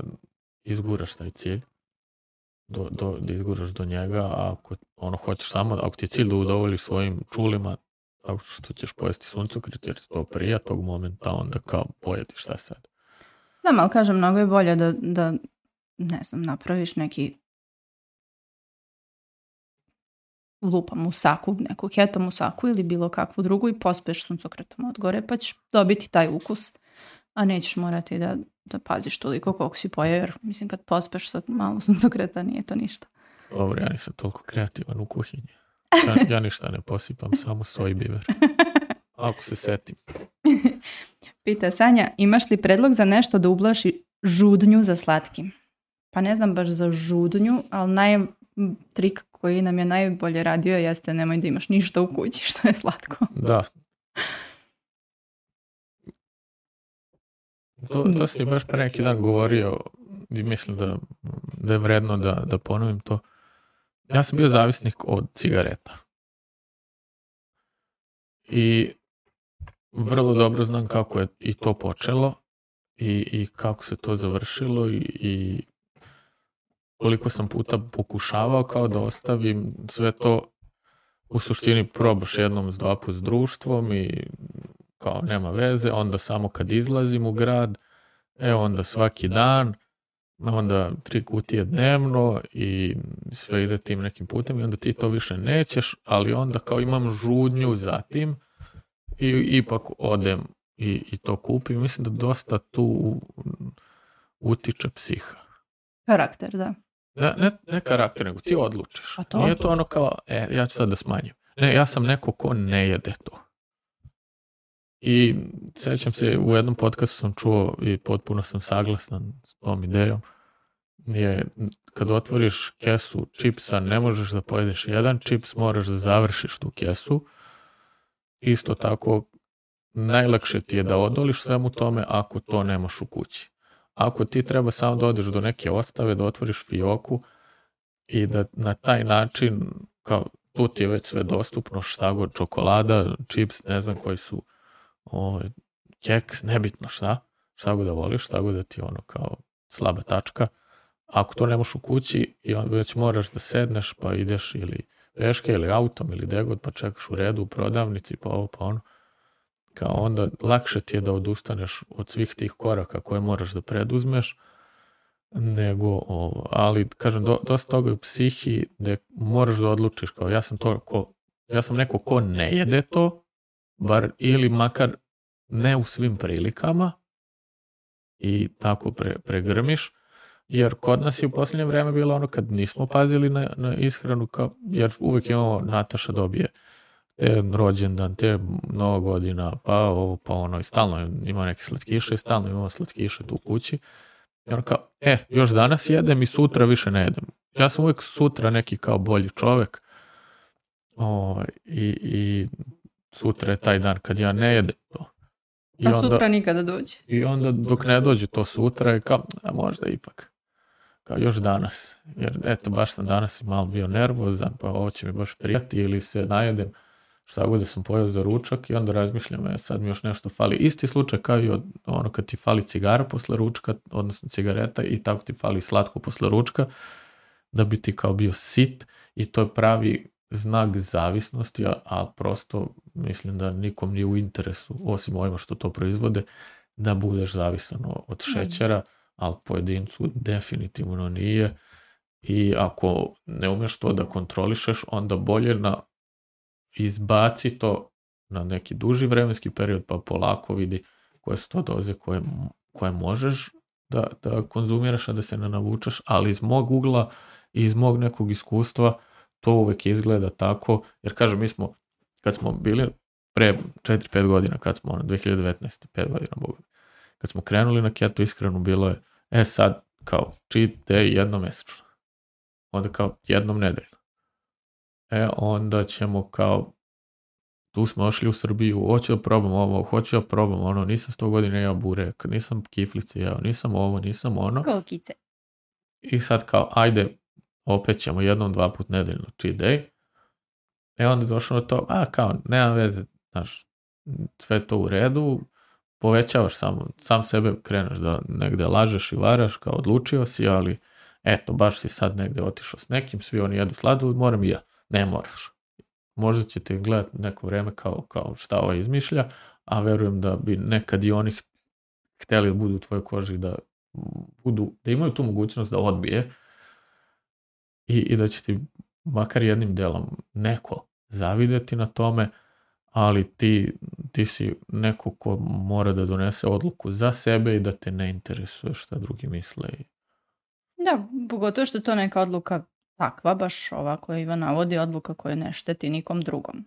izguraš taj cilj, do, do, da izguraš do njega, a ako ono hoćeš samo, ako ti je cilj da udovoljiš svojim čulima, tako što ćeš pojesti suncokret jer to prija tog momenta, onda kao pojedi šta sad. Znam, ali kažem, mnogo je bolje da, da ne znam, napraviš neki lupa musaku, neku keto musaku ili bilo kakvu drugu i pospeš suncokretom od gore, pa ćeš dobiti taj ukus, a nećeš morati da, da paziš toliko koliko si pojeo, jer mislim kad pospeš sa malo suncokreta nije to ništa. Dobro, ja nisam toliko kreativan u kuhinji. Ja, ja ništa ne posipam, samo soj biber. Ako se setim. Pita Sanja, imaš li predlog za nešto da ublaži žudnju za slatkim? Pa ne znam baš za žudnju, ali naj, trik koji nam je najbolje radio jeste nemoj da imaš ništa u kući što je slatko. Da. to, to si baš pre neki dan govorio i mislim da, da je vredno da, da ponovim to. Ja sam bio zavisnik od cigareta. I vrlo dobro znam kako je i to počelo i, i kako se to završilo i, i koliko sam puta pokušavao kao da ostavim sve to. U suštini probaš jednom s dva put s društvom i kao nema veze, onda samo kad izlazim u grad, e onda svaki dan, onda tri kutije dnevno i sve ide tim nekim putem i onda ti to više nećeš, ali onda kao imam žudnju za tim i ipak odem i, i to kupim. Mislim da dosta tu utiče psiha. Karakter, da. Ne, ne, ne karakter, nego ti odlučiš. A to? Nije to ono kao, e, ja ću sad da smanjim. Ne, ja sam neko ko ne jede to. I sećam se, u jednom podcastu sam čuo i potpuno sam saglasan s tom idejom, je kad otvoriš kesu čipsa, ne možeš da pojedeš jedan čips, moraš da završiš tu kesu. Isto tako, najlakše ti je da odoliš svemu tome ako to nemaš u kući. Ako ti treba samo da odeš do neke ostave, da otvoriš fioku i da na taj način, kao tu ti je već sve dostupno, šta god, čokolada, čips, ne znam koji su, o, keks, nebitno šta, šta god da voliš, šta god da ti ono kao slaba tačka. Ako to nemaš u kući i on već moraš da sedneš pa ideš ili peške ili autom ili degod pa čekaš u redu u prodavnici pa ovo pa ono, kao onda lakše ti je da odustaneš od svih tih koraka koje moraš da preduzmeš, nego ovo, ali kažem, do, dosta toga je u psihi da moraš da odlučiš, kao ja sam to, ko, ja sam neko ko ne jede to, bar ili makar ne u svim prilikama i tako pre, pregrmiš, jer kod nas je u posljednje vreme bilo ono kad nismo pazili na, na ishranu, kao, jer uvijek imamo Nataša dobije te rođendan, te nova godina, pa ovo, pa ono, i stalno ima neke slatkiše, i stalno imamo slatkiše tu u kući. I ono kao, e, još danas jedem i sutra više ne jedem. Ja sam uvijek sutra neki kao bolji čovek o, i, i sutra je taj dan kad ja ne jedem to. I a onda, sutra nikada dođe. I onda dok ne dođe to sutra je kao, a možda ipak. Kao još danas. Jer eto, baš sam danas i malo bio nervozan, pa ovo će mi baš prijati ili se najedem šta god da sam pojeo za ručak i onda razmišljam, e, sad mi još nešto fali. Isti slučaj kao i od, ono kad ti fali cigara posle ručka, odnosno cigareta i tako ti fali slatko posle ručka, da bi ti kao bio sit i to je pravi znak zavisnosti, a, a prosto mislim da nikom nije u interesu, osim ovima što to proizvode, da budeš zavisan od šećera, ali pojedincu definitivno nije i ako ne umeš to da kontrolišeš, onda bolje na izbaci to na neki duži vremenski period, pa polako vidi koje su to doze koje, koje možeš da, da konzumiraš, a da se ne navučeš, ali iz mog ugla i iz mog nekog iskustva to uvek izgleda tako, jer kažem, mi smo, kad smo bili pre četiri pet godina, kad smo, ono, dve hiljade devetnaeste pet godina, Boga, kad smo krenuli na keto ishranu, bilo je, e sad, kao, cheat day jednomesečno, onda kao jednom nedeljno. E, onda ćemo kao, tu smo ošli u Srbiju, hoću da probam ovo, hoću da probam ono, nisam sto godina jeo burek, nisam kiflice jeo, nisam ovo, nisam ono. Kokice. I sad kao, ajde, opet ćemo jednom, dva put nedeljno cheat day. E onda došlo na to, a kao, nema veze, znaš, sve to u redu, povećavaš samo, sam sebe kreneš da negde lažeš i varaš, kao odlučio si, ali eto, baš si sad negde otišao s nekim, svi oni jedu sladoled, moram i ja. Ne moraš. Možda ćete gledati neko vreme kao, kao šta ovo izmišlja, a verujem da bi nekad i oni hteli da budu u tvojoj koži, da, budu, da imaju tu mogućnost da odbije i, i da će ti makar jednim delom neko zavideti na tome, ali ti, ti si neko ko mora da donese odluku za sebe i da te ne interesuje šta drugi misle. Da, pogotovo što je to neka odluka takva, baš ovako Ivan navodi, odluka koja ne šteti nikom drugom.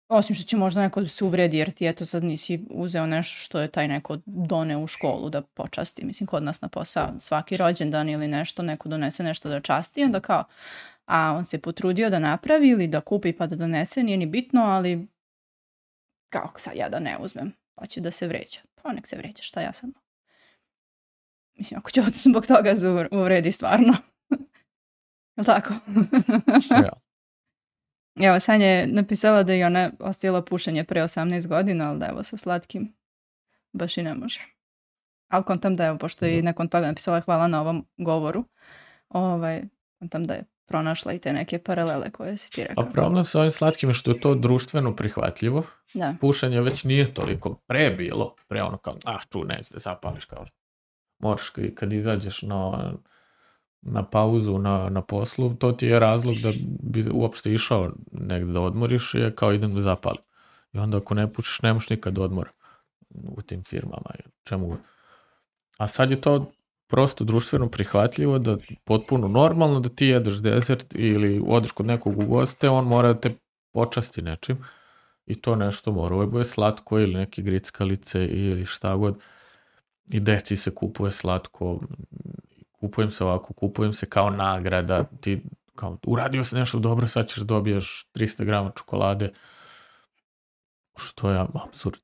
Osim što će možda neko da se uvredi jer ti eto sad nisi uzeo nešto što je taj neko doneo u školu da počasti. Mislim, kod nas na posao svaki rođendan ili nešto, neko donese nešto da časti i onda kao, a on se potrudio da napravi ili da kupi pa da donese, nije ni bitno, ali kao sad ja da ne uzmem. pa će da se vređa. Pa nek se vređa, šta ja sad? Mislim, ako će zbog toga uvredi stvarno. Jel' tako? Ja. Evo, Sanja je napisala da je ona ostavila pušenje pre osamnaest godina, ali da evo sa slatkim baš i ne može. Ali kontam da evo, pošto je nakon toga napisala hvala na ovom govoru, ovaj, kontam da je pronašla i te neke paralele koje si ti rekao. A problem sa ovim slatkim je što je to društveno prihvatljivo. Da. Pušenje već nije toliko pre bilo, pre ono kao, ah, ču, neće da zapališ, kao moraš kad izađeš na, na pauzu na, na poslu, to ti je razlog da bi uopšte išao negde da odmoriš, je kao idem da zapalim. I onda ako ne pušiš, nemaš nikad odmora u tim firmama, čemu. A sad je to prosto društveno prihvatljivo, da potpuno normalno da ti jedeš dezert ili odeš kod nekog u goste, on mora da te počasti nečim i to nešto mora. Ovo je slatko ili neke grickalice ili šta god. I deci se kupuje slatko, kupujem se ovako, kupujem se kao nagrada, ti kao uradio se nešto dobro, sad ćeš dobiješ trista grama čokolade, što je apsurd.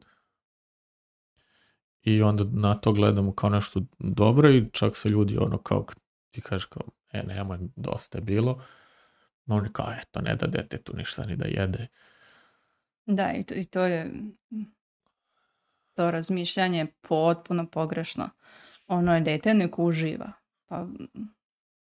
I onda na to gledamo kao nešto dobro i čak se ljudi ono kao ti kažeš kao, e nemoj, dosta je bilo, no oni kao, eto, ne da detetu ništa ni da jede. Da, i to, i to je to razmišljanje je potpuno pogrešno. Ono je dete nek uživa. Pa...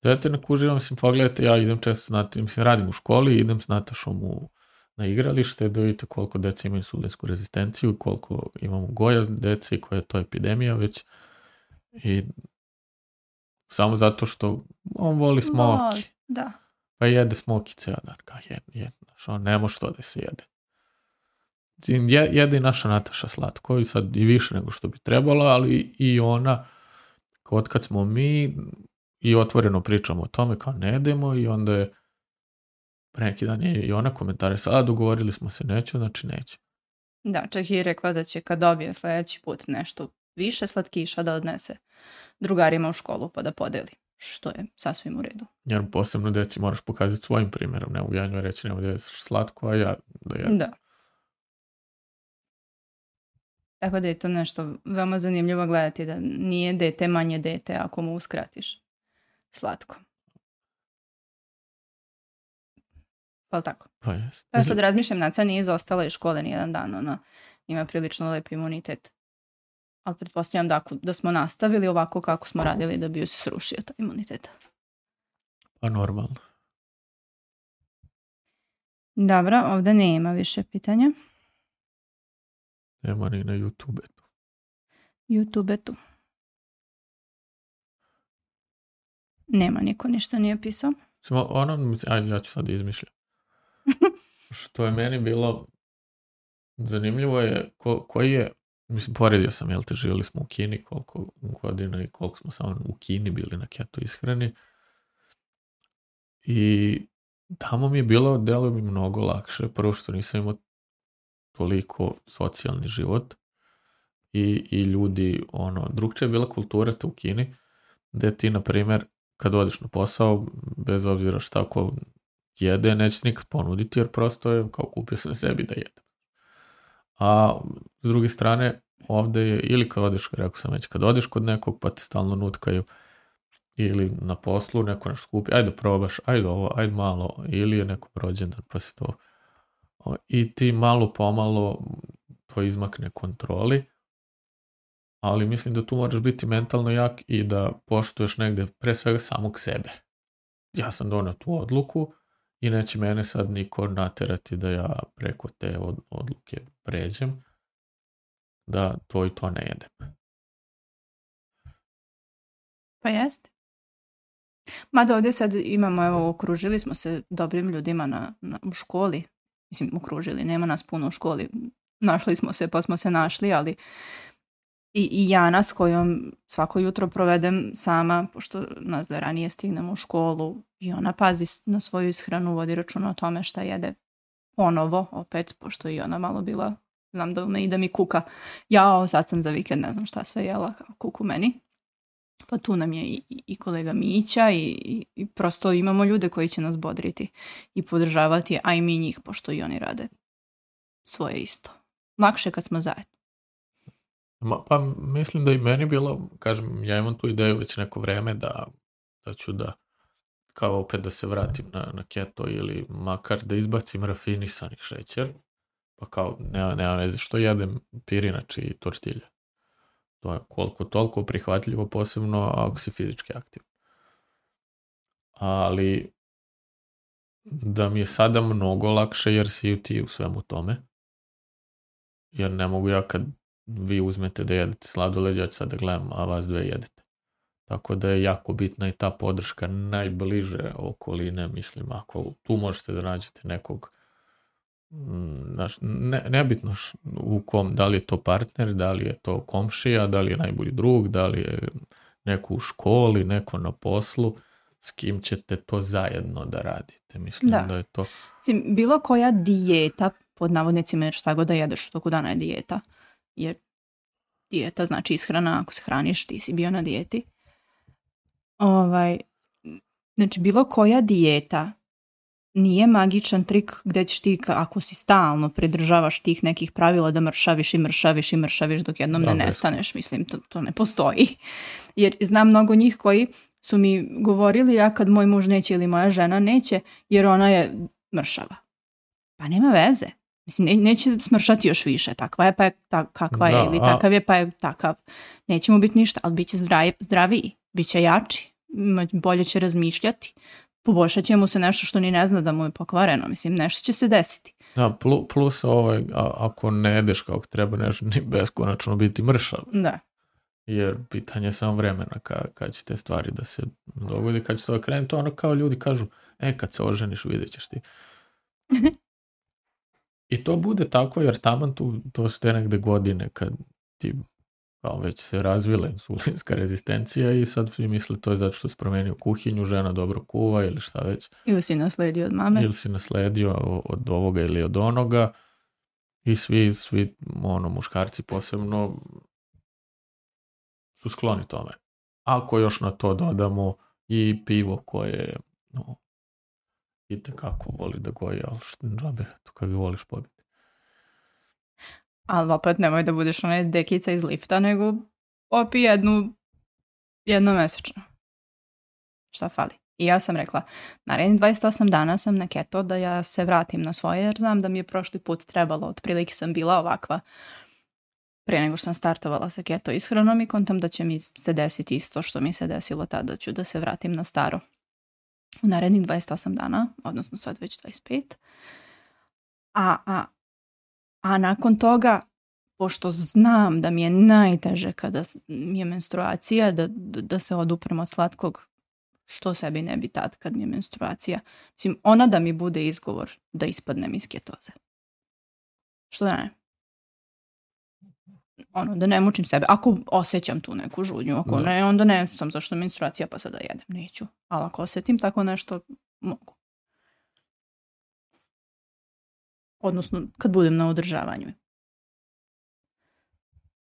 Dete nek uživa, mislim, pogledajte, ja idem često s Natašom, mislim, radim u školi, idem s Natašom u, na igralište, da vidite koliko dece imaju insulinsku rezistenciju, koliko imamo gojazn dece i koja je to epidemija već. I samo zato što on voli smoki. Da. Pa jede smoki ceo dan, kao jed, jed, znaš, on ne može to da se jede. Jede i naša Nataša slatko i sad i više nego što bi trebalo, ali i ona, od kad smo mi i otvoreno pričamo o tome kao ne jedemo i onda je pre neki dan je i ona komentarisala, a dogovorili smo se neću, znači neću. Da, čak je rekla da će kad dobije sljedeći put nešto više slatkiša da odnese drugarima u školu pa da podeli, što je sasvim u redu. Jer posebno deci moraš pokazati svojim primjerom, ne mogu ja njoj reći nema da je slatko, a ja da jedem. Da. Tako da je to nešto veoma zanimljivo gledati, da nije dete manje dete ako mu uskratiš slatko. Pa tako? Pa jest. Ja sad razmišljam, Naca nije izostala iz škole nijedan dan, ona ima prilično lep imunitet. Ali pretpostavljam da, da smo nastavili ovako kako smo radili da bi ju se srušio taj imunitet. Pa normalno. Dobro, ovdje nema više pitanja. Nema ni na YouTube-etu. YouTube-etu. Nema, niko ništa nije pisao. Samo ono, ajde, ja ću sad izmišljati. Što je meni bilo zanimljivo je ko, koji je, mislim, poredio sam, jel te, živjeli smo u Kini koliko godina i koliko smo samo u Kini bili na keto ishrani. I tamo mi je bilo, delo mi mnogo lakše, prvo što nisam imao toliko socijalni život i, i ljudi, ono, drugčija je bila kultura te u Kini, gde ti, na primjer, kad odeš na posao, bez obzira šta ko jede, neće nikad ponuditi, jer prosto je kao kupio sam sebi da jedem. A s druge strane, ovdje je, ili kad odeš, rekao sam već, kad odeš kod nekog pa te stalno nutkaju, ili na poslu neko nešto kupi, ajde probaš, ajde ovo, ajde malo, ili je neko rođendan pa se to... I ti malo pomalo to izmakne kontroli, ali mislim da tu moraš biti mentalno jak i da poštuješ negde pre svega samog sebe. Ja sam donio tu odluku i neće mene sad niko naterati da ja preko te od, odluke pređem, da to i to ne jedem. Pa jest. Mada ovdje sad imamo, evo, okružili smo se dobrim ljudima na, na, u školi. Mislim, okružili, nema nas puno u školi. Našli smo se, pa smo se našli, ali i, i Jana s kojom svako jutro provedem sama, pošto nas da ranije stignemo u školu i ona pazi na svoju ishranu, vodi računa o tome šta jede ponovo, opet, pošto i ona malo bila, znam da me i da mi kuka, jao, sad sam za vikend, ne znam šta sve jela, kuku meni. Pa tu nam je i, i kolega Mića i, i, i prosto imamo ljude koji će nas bodriti i podržavati, a i mi njih, pošto i oni rade svoje isto. Lakše kad smo zajedno. Ma, pa mislim da i meni bilo, kažem, ja imam tu ideju već neko vreme da, da ću da kao opet da se vratim na, na keto ili makar da izbacim rafinisani šećer, pa kao nema, nema veze što jedem pirinač i tortilje. To je koliko toliko prihvatljivo, posebno ako si fizički aktivan. Ali da mi je sada mnogo lakše jer si i ti u svemu tome. Jer ne mogu ja kad vi uzmete da jedete sladoled, ja ću sad da gledam, a vas dve jedete. Tako da je jako bitna i ta podrška najbliže okoline, mislim, ako tu možete da nađete nekog, znaš, ne, nebitno š, u kom, da li je to partner, da li je to komšija, da li je najbolji drug, da li je neko u školi, neko na poslu, s kim ćete to zajedno da radite. Mislim da, da je to... Mislim, bilo koja dijeta, pod navodnicima, jer šta god da jedeš u toku dana je dijeta, jer dijeta znači ishrana, ako se hraniš, ti si bio na dijeti. Ovaj, znači, bilo koja dijeta nije magičan trik gdje ćeš ti, ako si stalno pridržavaš tih nekih pravila da mršaviš i mršaviš i mršaviš dok jednom ne nestaneš. Mislim, to, to ne postoji. Jer znam mnogo njih koji su mi govorili, ja kad moj muž neće ili moja žena neće, jer ona je mršava. Pa nema veze. Mislim, ne, neće smršati još više. Takva je pa je ta, kakva da, je ili takav je pa je takav. Neće mu biti ništa, ali bit će zdrav, zdraviji, bit će jači, bolje će razmišljati. Poboljšat će mu se nešto što ni ne zna da mu je pokvareno. Mislim, nešto će se desiti. Da, plus ovaj, a, ako ne jedeš kako treba, nešto ni beskonačno biti mršav. Da. Jer pitanje je samo vremena ka, kad će te stvari da se dogodi, kad će to krenuti. To ono kao ljudi kažu, e, kad se oženiš vidjet ćeš ti. I to bude tako, jer taman tu, to su te negde godine kad ti kao već se razvila insulinska rezistencija i sad svi misle to je zato što si promenio kuhinju, žena dobro kuva ili šta već. Ili si nasledio od mame. Ili si nasledio od ovoga ili od onoga i svi, svi ono, muškarci posebno su skloni tome. Ako još na to dodamo i pivo koje no, itekako voli da goji, ali što džabe, to kad ga voliš pobiti. Ali opet nemoj da budeš onaj dekica iz lifta, nego opi jednu jednomesečno. Šta fali? I ja sam rekla, narednih dvadeset osam dana sam na keto da ja se vratim na svoje, jer znam da mi je prošli put trebalo, otprilike sam bila ovakva prije nego što sam startovala sa keto ishranom i kontam da će mi se desiti isto što mi se desilo tada, ću da se vratim na staro. U narednih dvadeset osam dana, odnosno sad već dvadeset pet. A, a, a nakon toga, pošto znam da mi je najteže kada mi je menstruacija, da, da, da se oduprem od slatkog, što sebi ne bi tad kad mi je menstruacija. Mislim, ona da mi bude izgovor da ispadnem iz ketoze. Što da ne? Ono, da ne mučim sebe. Ako osjećam tu neku žudnju, ako ne, onda ne sam zašto menstruacija pa sada jedem, neću. Ali ako osjetim tako nešto, mogu. Odnosno, kad budem na održavanju.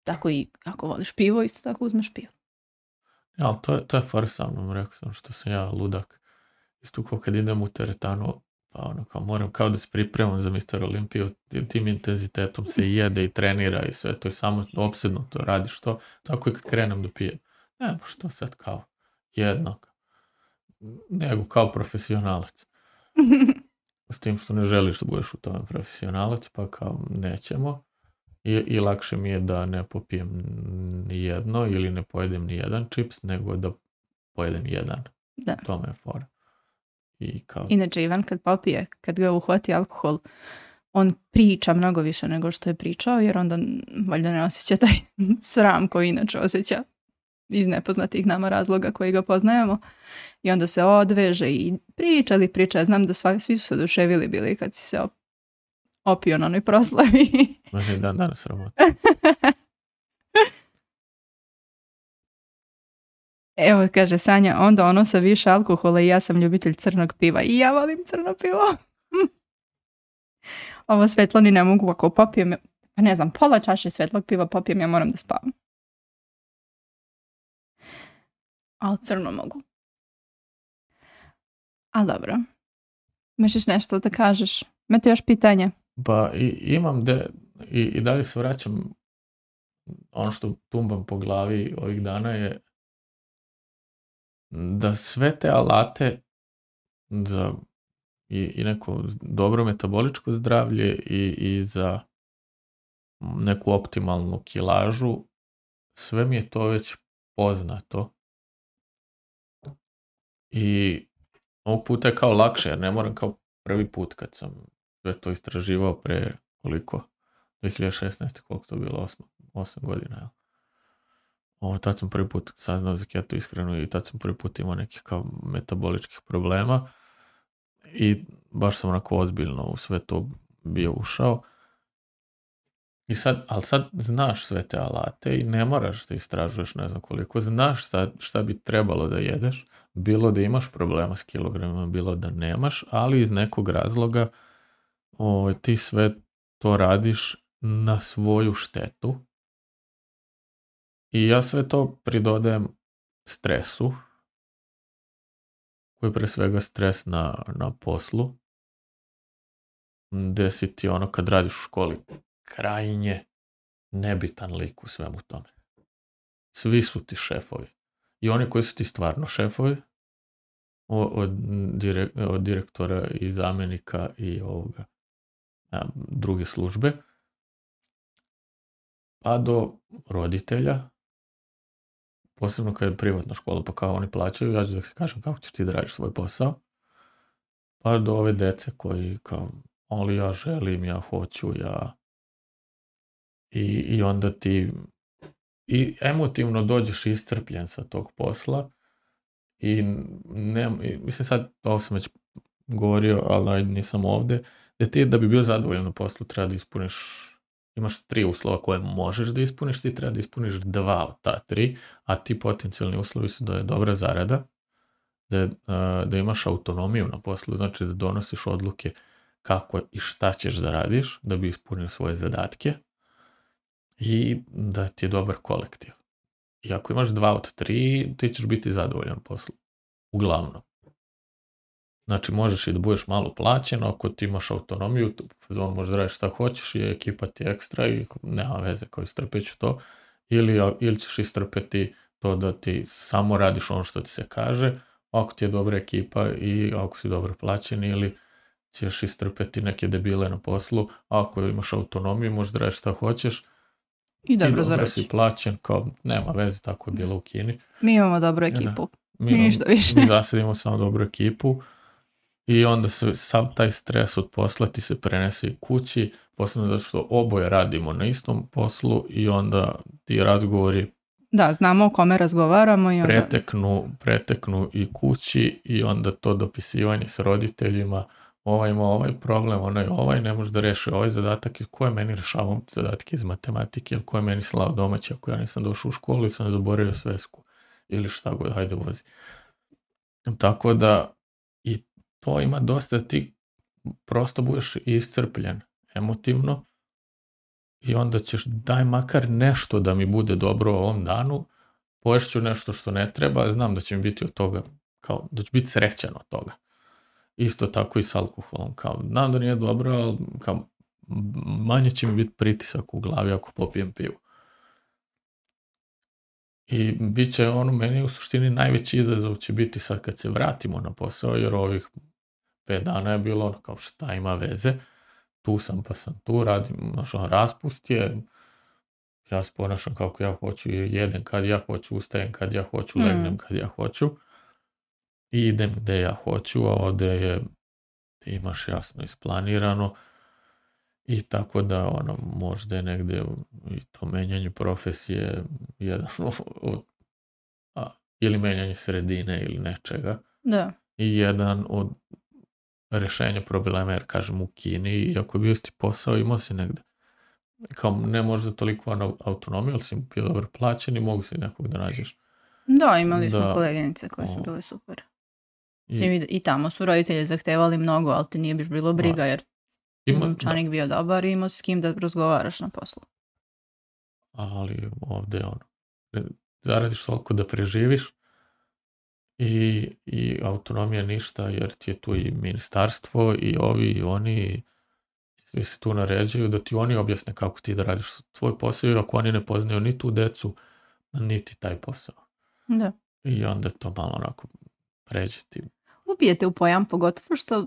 Tako i ako voliš pivo, isto tako uzmeš pivo. Ja, ali to je, to je far sa mnom, rekao sam što sam ja ludak. Isto kao kad idem u teretanu, pa ono kao moram kao da se pripremam za mister Olimpiju, tim intenzitetom se jede i trenira i sve, to je samo opsedno, to radiš to, tako i kad krenem da pijem. Ne, pa što sad kao jednako, nego kao profesionalac. S tim što ne želiš da budeš u tome profesionalac, pa kao nećemo. I, i lakše mi je da ne popijem ni jedno ili ne pojedem ni jedan čips, nego da pojedem jedan. Da. To me je fora. I kao... Inače, Ivan kad popije, kad ga uhvati alkohol, on priča mnogo više nego što je pričao, jer onda valjda ne osjeća taj sram koji inače osjeća iz nepoznatih nama razloga koji ga poznajemo. I onda se odveže i priča li priča. Znam da sva, svi su se oduševili bili kad si se op- opio na onoj proslavi. Može dan danas sramota. Evo, kaže Sanja, onda ono sa više alkohola i ja sam ljubitelj crnog piva. I ja volim crno pivo. Ovo svetlo ni ne mogu, ako popijem, pa ne znam, pola čaše svetlog piva popijem, ja moram da spavam. Ali crno mogu. Ali dobro. Imaš nešto da kažeš? Imate još pitanja? Pa i, imam de, i, i dalje se vraćam ono što tumbam po glavi ovih dana je da sve te alate za i, i neko dobro metaboličko zdravlje i, i za neku optimalnu kilažu, sve mi je to već poznato. I ovog puta je kao lakše, jer ne moram kao prvi put kad sam sve to istraživao pre koliko, dve hiljade šesnaeste. koliko to bilo, osam godina, ja. Ovo, tad sam prvi put saznao za keto ishranu i tad sam prvi put imao nekih kao metaboličkih problema i baš sam onako ozbiljno u sve to bio ušao. I sad, ali sad znaš sve te alate i ne moraš da istražuješ ne znam koliko, znaš sad šta bi trebalo da jedeš, bilo da imaš problema s kilogramima, bilo da nemaš, ali iz nekog razloga o, ti sve to radiš na svoju štetu. I ja sve to pridodajem stresu, koji je pre svega stres na, na poslu, gde si ti ono kad radiš u školi krajnje nebitan lik u svemu tome. Svi su ti šefovi. I oni koji su ti stvarno šefovi, od, direk, od direktora i zamjenika i ovoga, a, druge službe, pa do roditelja, posebno kad je privatna škola, pa kao oni plaćaju, ja ću da se kažem kako ćeš ti da radiš svoj posao, pa do ove dece koji kao, ali ja želim, ja hoću, ja... I, i onda ti i emotivno dođeš iscrpljen sa tog posla i ne, mislim sad, ovo sam već govorio, ali nisam ovde, da ti da bi bio zadovoljan na poslu treba da ispuniš, imaš tri uslova koje možeš da ispuniš, ti treba da ispuniš dva od ta tri, a ti potencijalni uslovi su da je dobra zarada, da, je, da imaš autonomiju na poslu, znači da donosiš odluke kako i šta ćeš da radiš, da bi ispunio svoje zadatke, i da ti je dobar kolektiv. I ako imaš dva od tri, ti ćeš biti zadovoljan poslu. Uglavnom. Znači, možeš i da budeš malo plaćen, ako ti imaš autonomiju, on možeš da radiš šta hoćeš i ekipa ti ekstra i nema veze kao istrpet ću to. Ili, ili ćeš istrpeti to da ti samo radiš ono što ti se kaže, ako ti je dobra ekipa i ako si dobro plaćen, ili ćeš istrpeti neke debile na poslu, a ako imaš autonomiju, možeš da radiš šta hoćeš, I dobro, I dobro si plaćen, kao nema veze, tako je bilo u Kini. Mi imamo dobru ekipu, mi, ništa više. Mi zasad imamo samo dobru ekipu i onda se sav taj stres od posla ti se prenese i kući, posebno zato što oboje radimo na istom poslu i onda ti razgovori da, znamo o kome razgovaramo i onda... preteknu, preteknu i kući i onda to dopisivanje s roditeljima, ovaj ima ovaj problem, onaj ovaj, ne može da reši ovaj zadatak, ko je meni rešavao zadatke iz matematike, ili ko je meni slao domaće, ako ja nisam došao u školu ili sam zaboravio svesku, ili šta god, hajde vozi. Tako da i to ima dosta, ti prosto budeš iscrpljen emotivno i onda ćeš daj makar nešto da mi bude dobro u ovom danu, poješću nešto što ne treba, znam da će mi biti od toga, kao da ću biti srećan od toga. Isto tako i s alkoholom, kao, znam da nije dobro, ali kao, manje će mi biti pritisak u glavi ako popijem pivu. I bit će ono, meni u suštini najveći izazov će biti sad kad se vratimo na posao, jer ovih pet dana je bilo ono kao šta ima veze, tu sam pa sam tu, radim, znaš, ono, raspust je, ja se ponašam kako ja hoću, jedem kad ja hoću, ustajem kad ja hoću, mm. legnem kad ja hoću. I idem gde ja hoću, a ovde je, ti imaš jasno isplanirano i tako da ono, možda je negde i to menjanje profesije jedan od, a, ili menjanje sredine ili nečega. Da. I jedan od rešenja problema, jer kažem u Kini, iako je bio isti posao, imao si negde. Kao ne možda toliko autonomiju, ali si bio dobro plaćen i mogu si nekog da nađeš. Da, imali smo da, koleginice koje su bile super. I, I tamo su roditelji zahtevali mnogo, ali ti nije biš bilo briga, jer ima učenik bio dobar i imao s kim da razgovaraš na poslu. Ali ovde je ono, zaradiš toliko da preživiš i, i autonomija ništa, jer ti je tu i ministarstvo i ovi i oni, svi se tu naređuju da ti oni objasne kako ti da radiš tvoj posao, ako oni ne poznaju ni tu decu, niti taj posao. Da. I onda to malo onako pređe ti. Ubijete u pojam, pogotovo što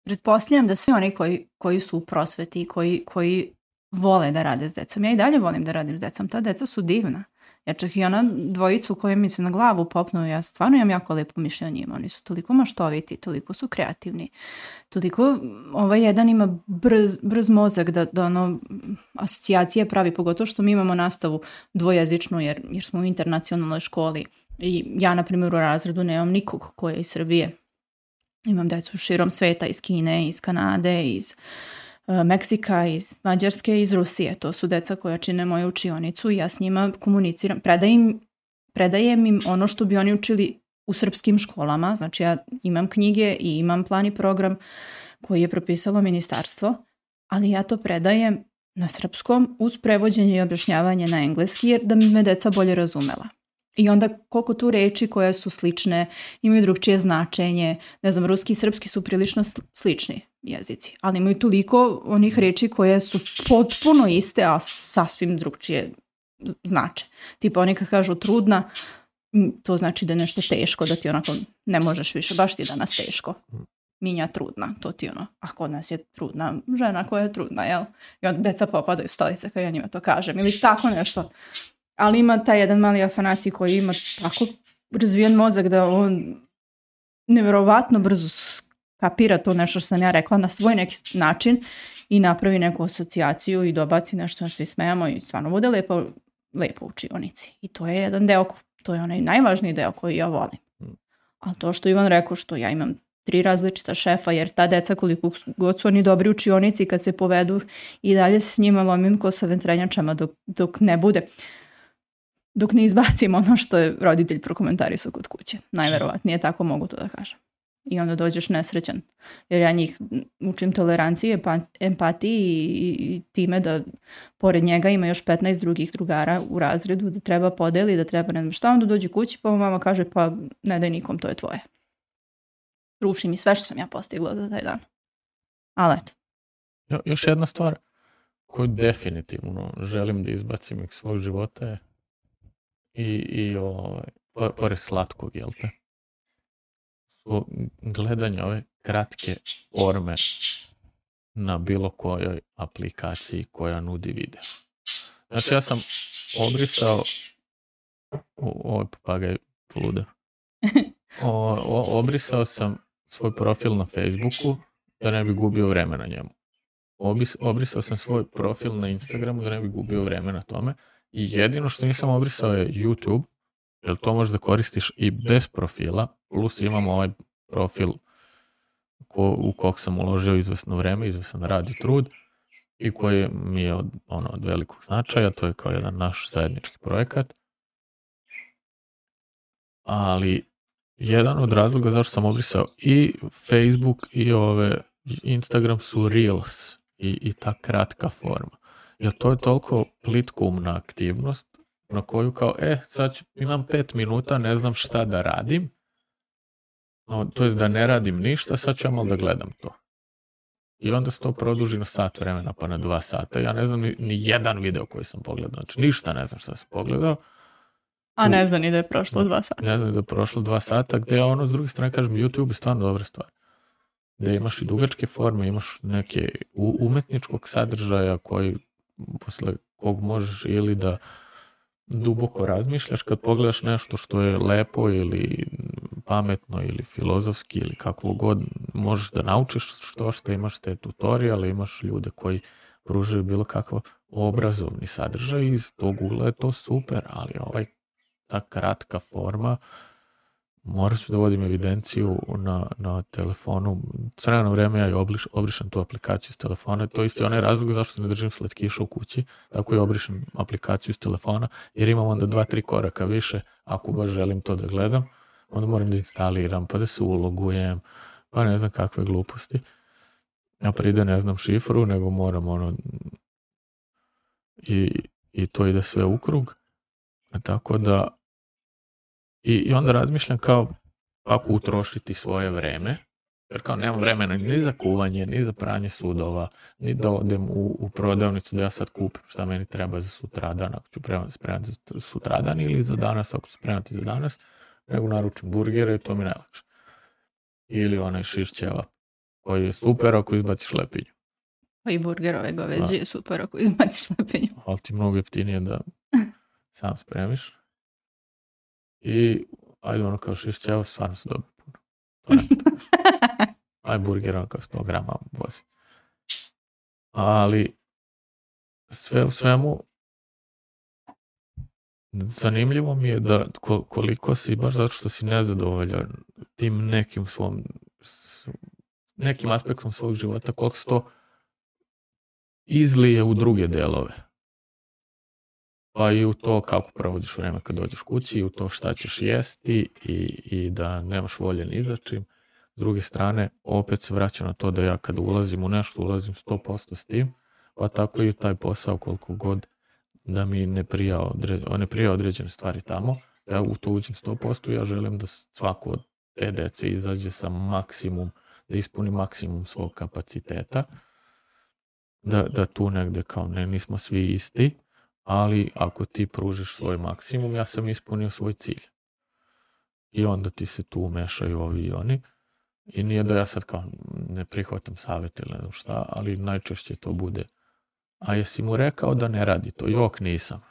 pretpostavljam da svi oni koji, koji su u prosveti, koji, koji vole da rade s decom. Ja i dalje volim da radim s decom. Ta deca su divna. Ja čak i ona dvojicu koja mi se na glavu popnu, ja stvarno imam jako lepo mišljenje o njima. Oni su toliko maštoviti, toliko su kreativni. Toliko, ovaj jedan ima brz, brz mozak da, da ono, asocijacije pravi, pogotovo što mi imamo nastavu dvojezičnu jer, jer smo u internacionalnoj školi. I ja, na primjer, u razredu nemam nikog ko je iz Srbije. Imam decu širom sveta, iz Kine, iz Kanade, iz uh, Meksika, iz Mađarske, iz Rusije. To su deca koja čine moju učionicu i ja s njima komuniciram. Predajem, predajem im ono što bi oni učili u srpskim školama. Znači ja imam knjige i imam plan i program koji je propisalo ministarstvo, ali ja to predajem na srpskom uz prevođenje i objašnjavanje na engleski jer da bi me deca bolje razumela. I onda koliko tu reči koje su slične, imaju drugčije značenje, ne znam, ruski i srpski su prilično slični jezici, ali imaju toliko onih reči koje su potpuno iste, a sasvim drugčije znače. Tipa oni kad kažu trudna, to znači da je nešto teško, da ti onako ne možeš više, baš ti danas teško. Minja trudna, to ti ono, a kod nas je trudna žena koja je trudna, jel? I onda deca popadaju stolice kad ja njima to kažem, ili tako nešto. Ali ima taj jedan mali Afanasij koji ima tako razvijen mozak da on nevjerovatno brzo skapira to nešto što sam ja rekla na svoj neki način i napravi neku asocijaciju i dobaci nešto, svi smejamo i stvarno bude lepo, lepo u učionici. I to je jedan deo, to je onaj najvažniji deo koji ja volim. Ali to što Ivan rekao, što ja imam tri različita šefa, jer ta deca koliko god su oni dobri učionici kad se povedu i dalje s njima lomim ko sa ventrenjačama dok, dok ne bude. Dok ne izbacim ono što je roditelj prokomentarisao kod kuće. Najverovatnije tako mogu to da kažem. I onda dođeš nesrećan. Jer ja njih učim toleranciji, empatiji i, i time da pored njega ima još petnaest drugih drugara u razredu, da treba podeli, da treba ne znam šta. Onda dođe kući pa mama kaže pa ne daj nikom, to je tvoje. Ruši mi sve što sam ja postigla za taj dan. Ali eto. Jo, još jedna stvar koju definitivno želim da izbacim iz svog života je i, i ovaj, pored slatkog, jel te? Svo gledanje ove kratke forme na bilo kojoj aplikaciji koja nudi video. Znači ja sam obrisao ovaj papagaj poluda. O, o, obrisao sam svoj profil na Facebooku da ne bi gubio vreme na njemu. Obis, obrisao sam svoj profil na Instagramu da ne bi gubio vreme na tome. I jedino što nisam obrisao je YouTube, jer to možeš da koristiš i bez profila, plus imam ovaj profil ko, u kog sam uložio izvesno vreme, izvesan rad i trud i koji mi je od, ono, od velikog značaja, to je kao jedan naš zajednički projekat. Ali jedan od razloga zašto sam obrisao i Facebook i ove Instagram su Reels i, i ta kratka forma. Jer to je toliko plitkoumna aktivnost na koju kao, e, sad ću, imam pet minuta, ne znam šta da radim, no, to jest da ne radim ništa, sad ću ja malo da gledam to. I onda se to produži na sat vremena, pa na dva sata. Ja ne znam ni, ni jedan video koji sam pogledao, znači ništa ne znam šta sam pogledao. A ne znam ni da je prošlo dva sata. Ne znam ni da je prošlo dva sata, gde ono, s druge strane, kažem, YouTube je stvarno dobra stvar. Gde imaš i dugačke forme, imaš neke umetničkog sadržaja koji posle kog možeš ili da duboko razmišljaš kad pogledaš nešto što je lepo ili pametno ili filozofski ili kakvo god, možeš da naučiš što što, imaš te tutoriale, imaš ljude koji pružaju bilo kakav obrazovni sadržaj i iz tog ugla je to super, ali ovaj ta kratka forma, morat ću da vodim evidenciju na, na telefonu. Sve na vreme ja obliš, obrišem tu aplikaciju s telefona. To je isti onaj razlog zašto ne držim slatkiša u kući. Tako i obrišem aplikaciju s telefona, jer imam onda dva, tri koraka više. Ako baš želim to da gledam, onda moram da instaliram, pa da se ulogujem, pa ne znam kakve gluposti. Ja pride ne znam šifru, nego moram ono... I, i to ide sve u krug. Tako da I, i onda razmišljam kao kako utrošiti svoje vreme Jer kao nemam vremena ni za kuvanje, ni za pranje sudova, ni da odem u, u prodavnicu da ja sad kupim šta meni treba za sutradan, ako ću spremati za sutradan ili za danas, ako ću spremati za danas, nego naručim burgere i to mi najlakše. Ili onaj šiš ćevap koji je super ako izbaciš lepinju. Pa i burgerove goveđe je super ako izbaciš lepinju. Ali ti mnogo jeftinije da sam spremiš. I ajde ono kao šiš ćevap, stvarno se dobije puno. To ne aj burger ono kao sto grama vozi. Ali sve u svemu zanimljivo mi je da koliko si, baš zato što si nezadovoljan tim nekim svom nekim aspektom svog života, koliko se to izlije u druge delove. Pa i u to kako provodiš vreme kad dođeš kući, i u to šta ćeš jesti i, i da nemaš volje ni za čim. S druge strane, opet se vraća na to da ja kad ulazim u nešto, ulazim sto posto s tim, pa tako i taj posao koliko god da mi ne prija, odre, ne prija određene stvari tamo, ja u to uđem sto posto, ja želim da svako od te dece izađe sa maksimum, da ispuni maksimum svog kapaciteta, da, da tu negde kao ne, nismo svi isti, ali ako ti pružiš svoj maksimum, ja sam ispunio svoj cilj. I onda ti se tu umešaju ovi i oni. I nije da ja sad kao ne prihvatam savjet ili ne znam šta, ali najčešće to bude. A jesi mu rekao da ne radi to? Jok, nisam.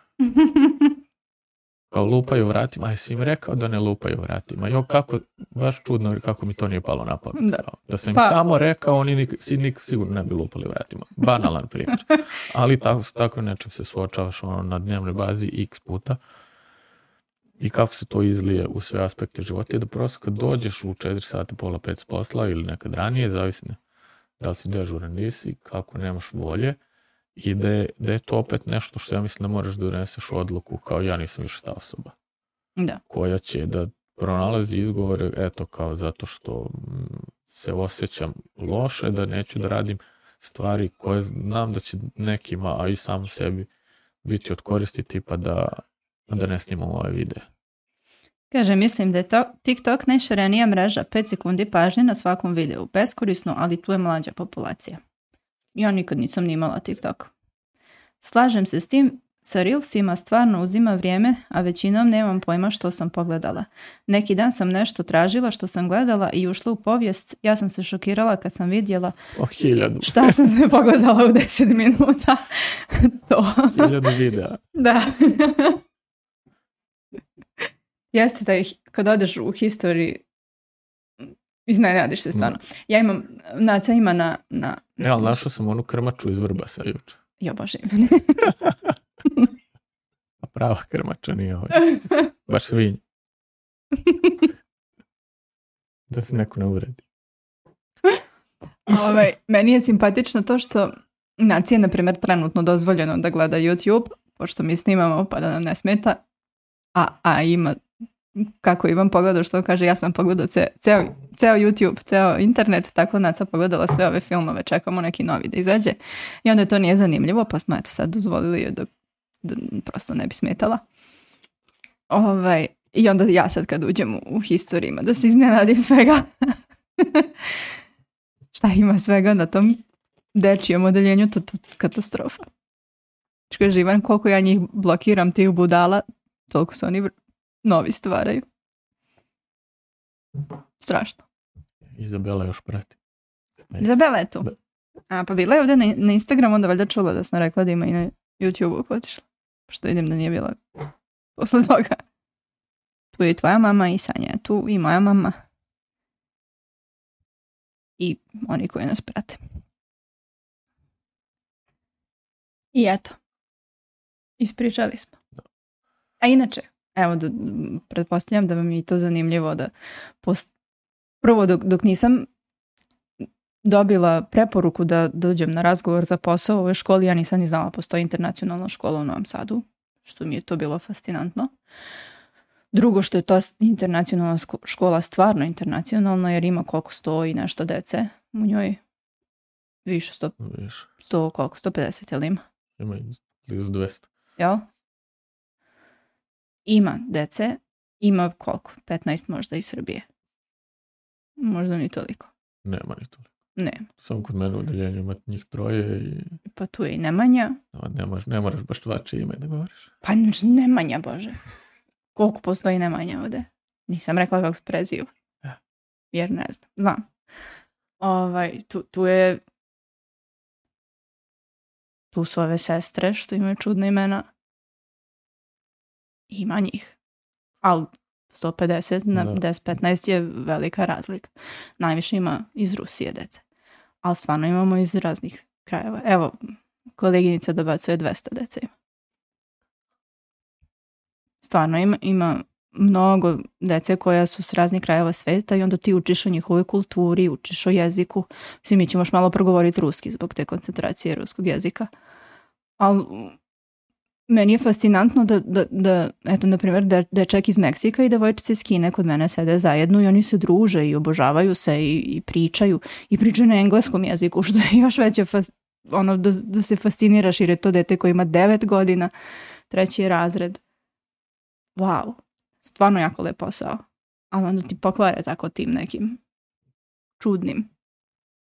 Kao lupaju vratima, a jesi im rekao da ne lupaju vratima? Jok, kako, baš čudno kako mi to nije palo na pamet. Da, da sam im pa... samo rekao, oni nik, nik, sigurno ne bi lupali vratima. Banalan primjer. Ali tako, tako nečem se suočavaš ono, na dnevnoj bazi x puta. I kako se to izlije u sve aspekte života, je da prosto kad dođeš u četiri sata, pola pet s posla ili nekad ranije, zavisno da li si dežuran nisi, kako nemaš volje, i da je, da je to opet nešto što ja mislim da moraš da doneseš odluku kao ja nisam više ta osoba. Da. Koja će da pronalazi izgovore, eto kao zato što se osjećam loše, da neću da radim stvari koje znam da će nekima, a i sam sebi biti od koristi, tipa da da ne snimamo ovaj video. Kaže, mislim da je to, TikTok najširenija mreža, pet sekundi pažnje na svakom videu. Beskorisno, ali tu je mlađa populacija. Ja nikad nisam ni imala TikTok. Slažem se s tim, sa Reelsima stvarno uzima vrijeme, a većinom nemam pojma što sam pogledala. Neki dan sam nešto tražila što sam gledala i ušla u povijest. Ja sam se šokirala kad sam vidjela oh, hiljadu. Šta sam sve pogledala u deset minuta. To. Hiljadu videa. Da. Jeste da ih, kad odeš u history, iznenadiš se stvarno. Ja imam, Naca ima na... na ja, ali našao sam onu krmaču iz Vrbasa juče. Jo, bože. A prava krmača nije ovaj. Baš svinj. Da se neko ne uredi. Ovaj, meni je simpatično to što Naci je, na primjer, trenutno dozvoljeno da gleda YouTube, pošto mi snimamo pa da nam ne smeta, a, a ima, kako Ivan pogledao što kaže, ja sam pogledao ce, ceo, ceo YouTube, ceo internet, tako Naca pogledala sve ove filmove, čekamo neki novi da izađe i onda to nije zanimljivo, pa smo eto sad dozvolili joj da, da prosto ne bi smetala. Ovaj, i onda ja sad kad uđem u historijima da se iznenadim svega. Šta ima svega na tom dečijem odeljenju, to, to katastrofa. Kaže Ivan, koliko ja njih blokiram tih budala, toliko se oni novi stvaraju. Strašno. Izabela još prati. Izabela je tu. A, pa bila je ovdje na, na Instagramu, onda valjda čula da sam rekla da ima i na YouTube-u potišla. Što vidim da nije bila posle toga. Tu je i tvoja mama i Sanja je tu i moja mama. I oni koji nas prate. I eto. Ispričali smo. A inače, evo, da, pretpostavljam da vam je i to zanimljivo da post... prvo dok, dok nisam dobila preporuku da dođem na razgovor za posao u ovoj školi, ja nisam ni znala postoji internacionalna škola u Novom Sadu, što mi je to bilo fascinantno. Drugo, što je to internacionalna škola stvarno internacionalna, jer ima koliko sto i nešto dece u njoj. Više sto, Više. sto koliko, sto pedeset, jel ima? Ima blizu dvesta. Jel? Ima dece, ima koliko? petnaest možda iz Srbije. Možda ni toliko. Nema ni toliko. Ne. Samo kod mene u odeljenju ima njih troje i... Pa tu je i Nemanja. No, ne, moraš, ne moraš baš tvače ime da govoriš. Pa Nemanja, Bože. Koliko postoji Nemanja ovde? Nisam rekla kako se preziva. Ja. Jer ne znam. Znam. Ovaj, tu, tu je... Tu su ove sestre što imaju čudne imena. Ima njih. Ali sto pedeset na Da. deset petnaest je velika razlika. Najviše ima iz Rusije dece. Ali stvarno imamo iz raznih krajeva. Evo, koleginica dobacuje dvesta dece. Stvarno ima, ima mnogo dece koja su s raznih krajeva sveta i onda ti učiš o njihovoj kulturi, učiš o jeziku. Svi mi ćemo još malo progovoriti ruski zbog te koncentracije ruskog jezika. Ali meni je fascinantno da, da, da eto, na primjer, da dečak iz Meksika i devojčice iz Kine kod mene sede zajedno i oni se druže i obožavaju se i, i pričaju. I pričaju na engleskom jeziku, što je još veće fas, ono, da, da se fasciniraš jer je to dete koje ima devet godina, treći je razred. Wow, stvarno jako lep posao. Ali onda ti pokvare tako tim nekim čudnim.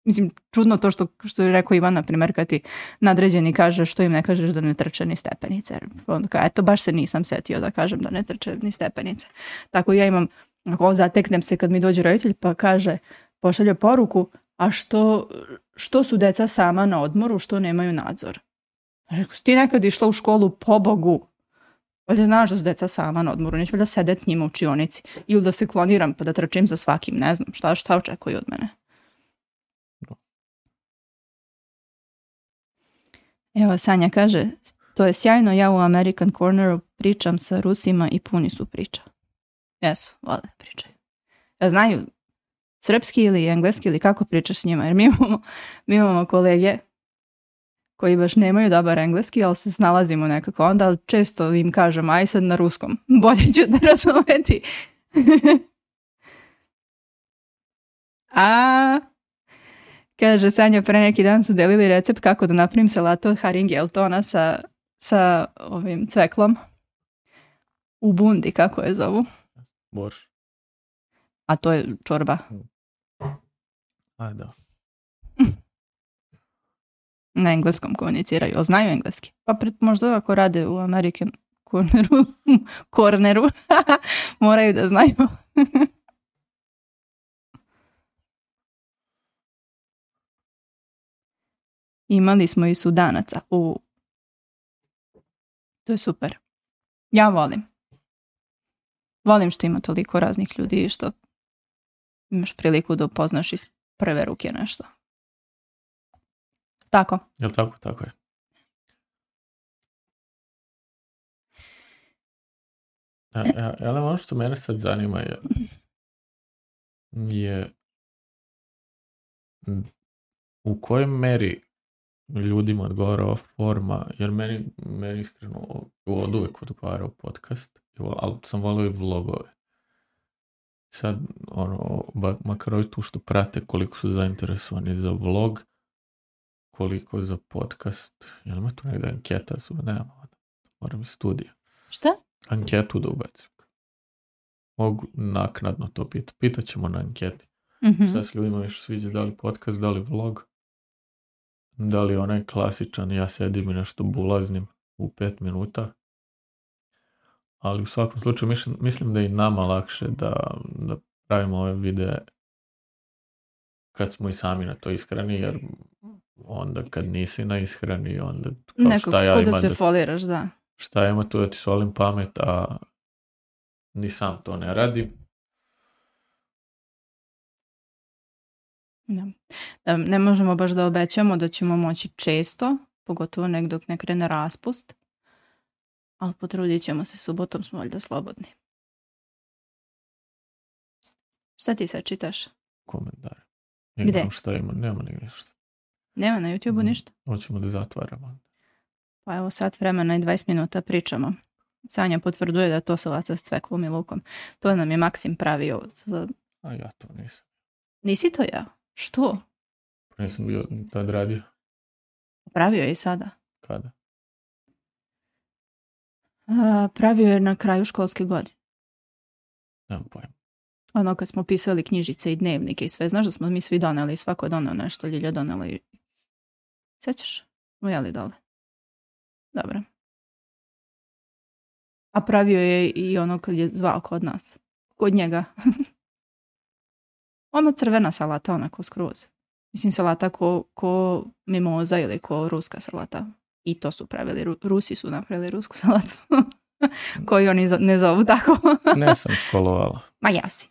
Mislim, čudno to što, što je rekao Ivan, na primjer, kad ti nadređeni kaže što im ne kažeš da ne trče ni stepenice. Onda kao, eto, baš se nisam setio da kažem da ne trče ni stepenice. Tako ja imam, ako zateknem se kad mi dođe roditelj pa kaže, pošalje poruku, a što, što su deca sama na odmoru, što nemaju nadzor? Rekao, si ti nekad išla u školu, po Bogu? Valjda znaš da su deca sama na odmoru, neću valjda sedeti s njima u učionici. Ili da se kloniram pa da trčim za svakim, ne znam, šta, šta očekuju od mene. Evo, Sanja kaže, to je sjajno, ja u American Corneru pričam sa Rusima i puni su priča. Jesu, vole pričaju. Ja znaju srpski ili engleski ili kako pričaš s njima, jer mi imamo, mi imamo kolege koji baš nemaju dobar engleski, ali se snalazimo nekako onda, ali često im kažem, aj sad na ruskom, bolje ću da razumeti. A... Kaže, Sanja, pre neki dan su delili recept kako da napravim salatu od haringeltona sa, sa ovim cveklom. U bundi, kako je zovu? Borš. A to je čorba. Aj, da. Na engleskom komuniciraju, ali znaju engleski. Pa pred, možda ako rade u American Corneru, corneru moraju da znaju. Imali smo i Sudanaca. U... To je super. Ja volim. Volim što ima toliko raznih ljudi i što imaš priliku da upoznaš iz prve ruke nešto. Tako? Jel tako? Tako je. Ali ono što mene sad zanima je, je u kojoj meri ljudima odgovara ova forma, jer meni, meni iskreno od uvek odgovarao podcast, ali sam volio i vlogove. Sad, ono, makar ovi tu što prate koliko su zainteresovani za vlog, koliko za podcast, jel ima tu negdje anketa, su, nema, moram iz studija. Šta? Anketu da ubacim. Mogu naknadno to pitati. Pitat ćemo na anketi. Mm-hmm. Sad s ljudima više sviđa da li podcast, da li vlog, da li onaj klasičan, ja sedim i nešto bulaznim u pet minuta. Ali u svakom slučaju mislim, mislim da je i nama lakše da, da pravimo ove videe kad smo i sami na to ishrani, jer onda kad nisi na ishrani, onda kao Nekako, šta ja da imam se da, foliraš, da. šta ima tu da ti solim pamet, a ni sam to ne radi. Da. Da, ne možemo baš da obećamo da ćemo moći često, pogotovo nek dok ne krene raspust, ali potrudit ćemo se, subotom smo valjda slobodni. Šta ti sad čitaš? Komentare. Gde? Nema šta ima, nema nigdje šta. Nema na YouTubeu ništa? Hoćemo da zatvaramo. Pa evo sat vremena i dvadeset minuta pričamo. Sanja potvrduje da je to salata s cveklom i lukom. To nam je Maksim pravio. Za... A ja to nisam. Nisi to ja? Što? Pa nisam bio tad radio. Pravio je i sada. Kada? A, pravio je na kraju školske godine. Nemam pojma. ono kad smo pisali knjižice i dnevnike i sve, znaš da smo mi svi doneli, svako je doneo nešto, Ljilja donela i... Sjećaš? Ujeli dole. Dobro. A pravio je i ono kad je zvao kod nas. Kod njega. Ono crvena salata, onako skroz. Mislim, salata ko, ko mimoza ili ko ruska salata. I to su pravili, Ru- Rusi su napravili rusku salatu. Koju oni ne zovu tako. Ne sam školovala. Ma ja si.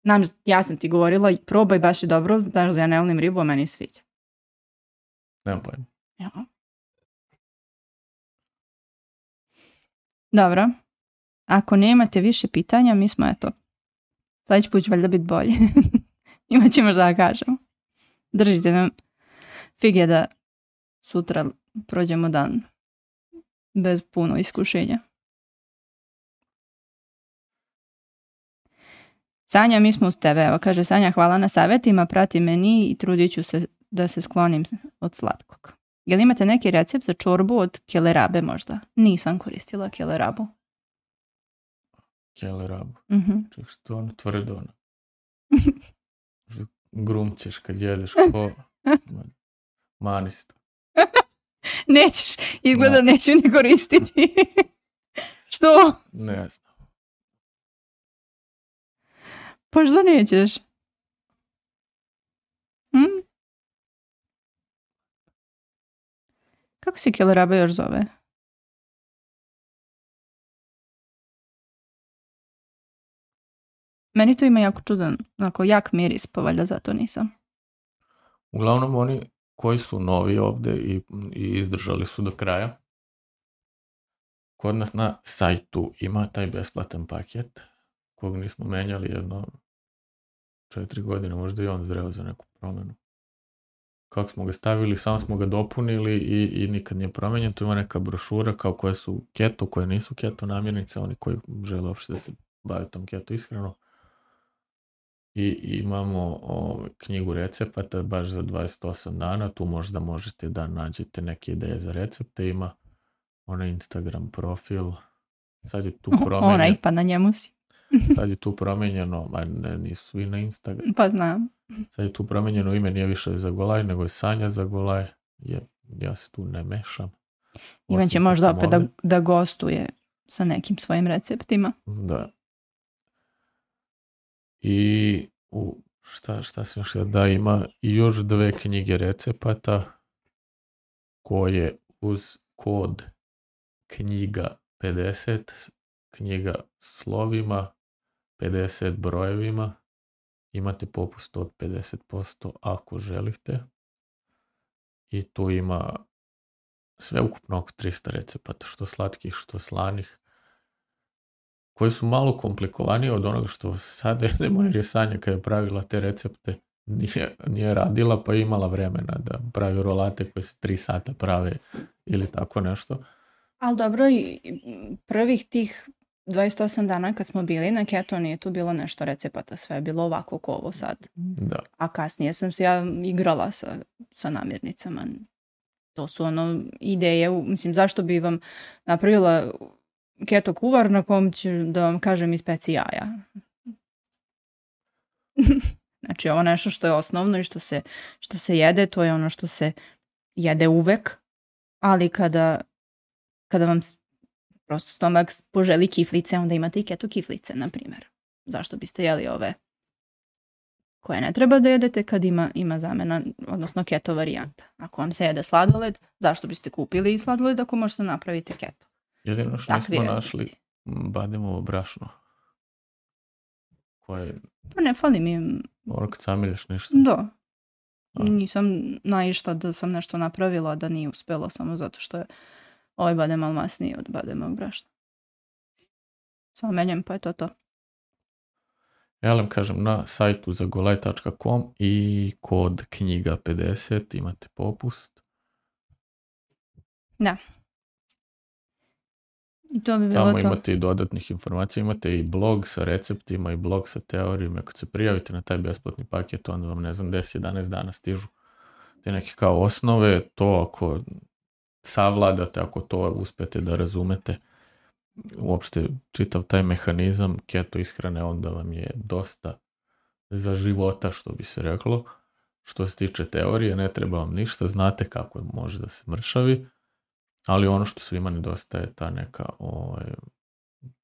Nam, ja sam ti govorila, probaj, baš je dobro, znaš da ja ne volim ribu, a meni sviđa. Nemam pojma. Ja. Dobro. Ako nemate više pitanja, mi smo, eto, sljedeći put će valjda biti bolje. Imat ćemo što da kažemo. Držite nam fige da sutra prođemo dan bez puno iskušenja. Sanja, mi smo uz tebe. Evo, kaže Sanja, hvala na savjetima, prati meni i trudit ću se da se sklonim od slatkog. Jel imate neki recept za čorbu od kelerabe možda? Nisam koristila kelerabu. Kelerabu? Uh-huh. Ček, što ono tvrdo ono? Grumćeš kad jedeš ko... Manisto. Nećeš, izgleda no. Neću ni koristiti. Što? Ne znam. Pa što nećeš? Hm? Kako se keleraba još zove? Meni to ima jako čudan, onako jak miris, pa valjda zato nisam. Uglavnom oni koji su novi ovdje i, i izdržali su do kraja. Kod nas na sajtu ima taj besplatan paket kog nismo menjali jedno četiri godine, možda i on zreo za neku promjenu. Kako smo ga stavili, samo smo ga dopunili i, i nikad nije promenjen. Tu ima neka brošura kao koje su keto, koje nisu keto namirnice, oni koji žele uopšte da se bave tom keto ishranu. I imamo o, knjigu recepata baš za dvadeset osam dana, tu možda možete da nađete neke ideje za recepte, ima onaj Instagram profil, sad je tu promenjeno. Onaj, pa na njemu si. Sad je tu promenjeno, a ne, nisu svi na Instagram. Pa znam. Sad je tu promenjeno ime, nije više Zagolaj, nego je Sanja Zagolaj, jer ja se tu ne mešam. Ivan će možda opet da, da gostuje sa nekim svojim receptima. Da. I u, šta, šta sam još da ima i još dve knjige recepata koje uz kod knjiga pedeset, knjiga slovima, pedeset brojevima, imate popust od pedeset posto ako želite. I tu ima sve ukupno oko tristo recepata, što slatkih, što slanih, koji su malo komplikovaniji od onoga što sada jedemo, jer je Sanja kada je pravila te recepte nije, nije radila, pa je imala vremena da pravi rolate koje se tri sata prave ili tako nešto. Ali dobro, i prvih tih dvadeset osam dana kad smo bili na keto nije tu bilo nešto recepata, sve je bilo ovako ko ovo sad. Da. A kasnije sam se ja igrala sa, sa namirnicama. To su ono ideje, mislim, zašto bi vam napravila keto kuvar na kom ću da vam kažem ispeci jaja. Znači ovo nešto što je osnovno i što se, što se jede, to je ono što se jede uvek, ali kada, kada vam prosto stomak poželi kiflice, onda imate i keto kiflice, na primjer. Zašto biste jeli ove koje ne treba da jedete kad ima, ima zamena, odnosno keto varijanta. Ako vam se jede sladoled, zašto biste kupili sladoled ako možete napraviti keto? Jedino što nismo našli bademovo brašno. Koje... Pa ne fali mi... Ono kad samilješ ništa. Da. A. Nisam naišla da sam nešto napravila, da nije uspjela samo zato što je ovaj badem malo masniji od bademovog brašna. Samo menjem, pa je to to. Ja kažem, na sajtu zagolaj tačka com i kod knjiga pedeset imate popust. Da. I to bi bilo Tamo to. imate i dodatnih informacija, imate i blog sa receptima i blog sa teorijom. Ako se prijavite na taj besplatni paket, onda vam, ne znam, deset jedanaest dana stižu te neke kao osnove. To ako savladate, ako to uspete da razumete, uopšte čitav taj mehanizam keto ishrane, onda vam je dosta za života, što bi se reklo. Što se tiče teorije, ne treba vam ništa, znate kako može da se mršavi, ali ono što svima nedostaje je ta neka ovaj,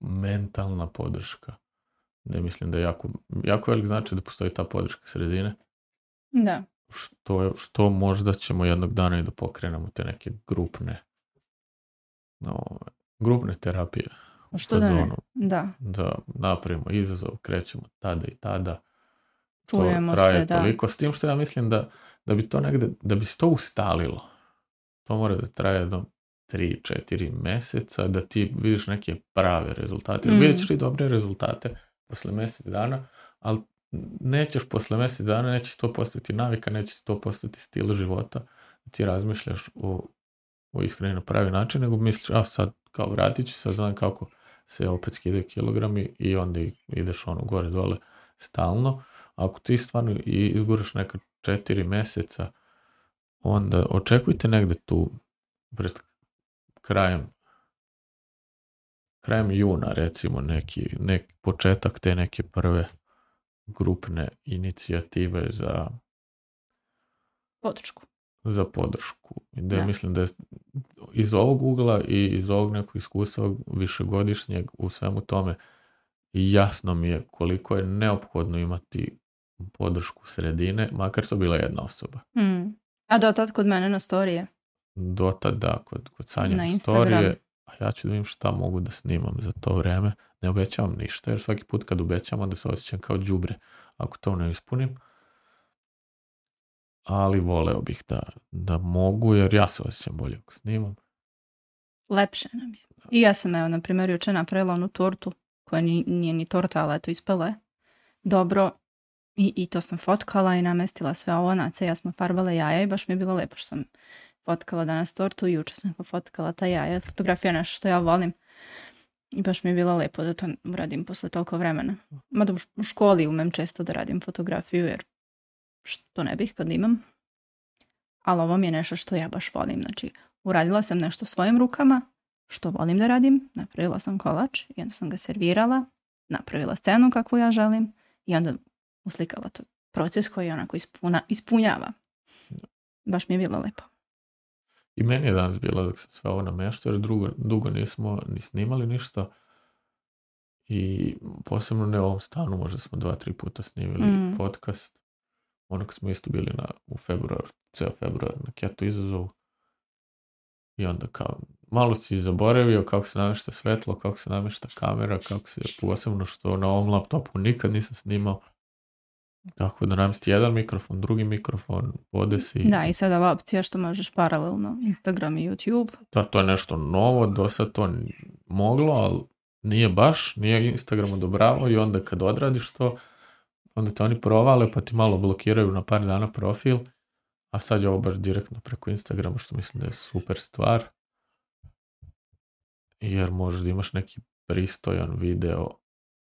mentalna podrška. Ne mislim da je jako, jako velik znači da postoji ta podrška sredine. Da. Što, što možda ćemo jednog dana i da pokrenemo te neke grupne no, grupne terapije. Što da ne? Da. Da napravimo izazov, krećemo tada i tada. Čujemo to traje se, da. toliko. S tim što ja mislim da, da bi to negde, da bi se to ustalilo. To mora da traje jedno tri četiri meseca, da ti vidiš neke prave rezultate. Mm. Vidjet ćeš ti dobre rezultate posle mjesec dana, ali nećeš posle mjesec dana, neće to postati navika, neće to postati stil života, da ti razmišljaš o, o ishrani na pravi način, nego misliš, a sad kao vratit ću, sad znam kako se opet skidaju kilogrami i onda ideš ono gore dole stalno. Ako ti stvarno izguraš neka četiri mjeseca, onda očekujte negde tu pred krajem krajem juna recimo neki, neki početak te neke prve grupne inicijative za podršku. Za podršku. Da, ja. Mislim da je iz ovog ugla i iz ovog nekog iskustva višegodišnjeg u svemu tome jasno mi je koliko je neophodno imati podršku sredine, makar to bila jedna osoba. Mm. A dotad kod mene na storije? Dotad da, kod, kod Sanje na storije, a ja ću da vidim šta mogu da snimam za to vreme. Ne obećavam ništa, jer svaki put kad obećam, onda se osjećam kao đubre ako to ne ispunim. Ali voleo bih da, da mogu, jer ja se osjećam bolje ako snimam. Lepše nam je. I ja sam, evo, na primjer, juče napravila onu tortu, koja nije, nije ni torta, ali eto ispela je dobro. I, I to sam fotkala i namestila sve ovo na ce. Ja smo farbale jaja i baš mi je bilo lepo što sam fotkala danas tortu i juče sam fotkala ta jaja. Fotografija je nešto što ja volim. I baš mi je bilo lepo da to uradim posle toliko vremena. Mada u školi umem često da radim fotografiju, jer što ne bih kad imam. Ali ovo mi je nešto što ja baš volim. Znači, uradila sam nešto svojim rukama, što volim da radim. Napravila sam kolač i onda sam ga servirala. Napravila scenu kakvu ja želim i onda uslikala to proces koji onako ispuna, ispunjava. Baš mi je bilo lepo. I meni je danas bilo dok sam sve ovo nameštao, jer drugo, dugo nismo ni snimali ništa. I posebno ne u ovom stanu, možda smo dva, tri puta snimili mm. podcast. Ono kad smo isto bili na, u februar, ceo februar na keto izazovu. I onda kao, malo si zaboravio kako se namješta svetlo, kako se namješta kamera, kako se posebno što na ovom laptopu nikad nisam snimao. Tako da namjesti jedan mikrofon, drugi mikrofon, podesi. Da, i sada ova opcija što možeš paralelno Instagram i YouTube. Da, to je nešto novo, do sad to moglo, ali nije baš, nije Instagram odobravao i onda kad odradiš to, onda te oni provale pa ti malo blokiraju na par dana profil, a sad je ovo baš direktno preko Instagrama, što mislim da je super stvar, jer možeš da imaš neki pristojan video,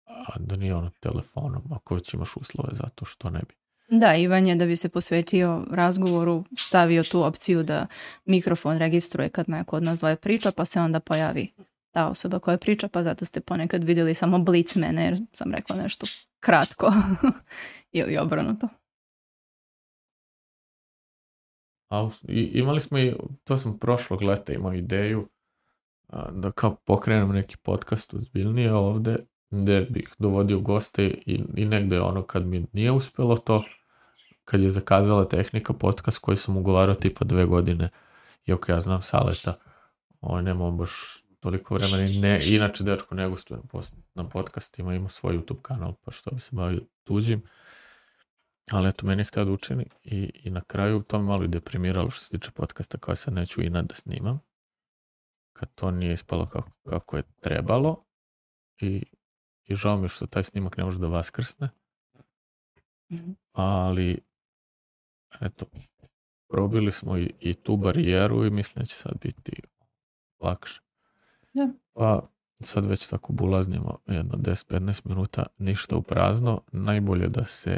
a da nije ono telefonom, ako već imaš uslove za to, što ne bi. Da, Ivan je da bi se posvetio razgovoru stavio tu opciju da mikrofon registruje kad neko od nas dvoje priča, pa se onda pojavi ta osoba koja priča, pa zato ste ponekad vidjeli samo blic mene, jer sam rekla nešto kratko ili obrnuto. A, i, imali smo i, to sam prošlog leta imao ideju a, da kao pokrenem neki podcast ozbiljnije ovde, gde bih dovodio goste i, i negde ono kad mi nije uspjelo to, kad je zakazala tehnika podcast koji sam ugovarao tipa dve godine, iako ja znam Saleta, ovo nemam baš toliko vremena i ne, inače dečko ne gostuje na, post, na podcastima, ima svoj YouTube kanal, pa što bi se bavio tuđim. Ali eto, meni je htio da učini i, i na kraju to me malo i deprimiralo što se tiče podcasta koja sad neću i nad da snimam. Kad to nije ispalo kako, kako je trebalo i, i žao mi je što taj snimak ne može da vaskrsne. Ali eto, probili smo i, i tu barijeru i mislim da će sad biti lakše. Ja. Pa sad već tako bulaznimo jedno deset do petnaest minuta, ništa u prazno. Najbolje da se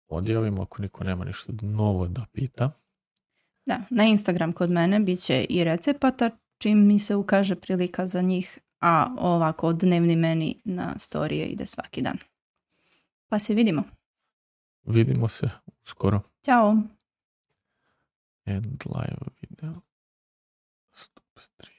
odjavimo ako niko nema ništa novo da pita. Da, na Instagram kod mene bit će i recepata čim mi se ukaže prilika za njih, a ovako dnevni meni na storije ide svaki dan. Pa se vidimo. Vidimo se uskoro. Ćao. And live video. Stop stream.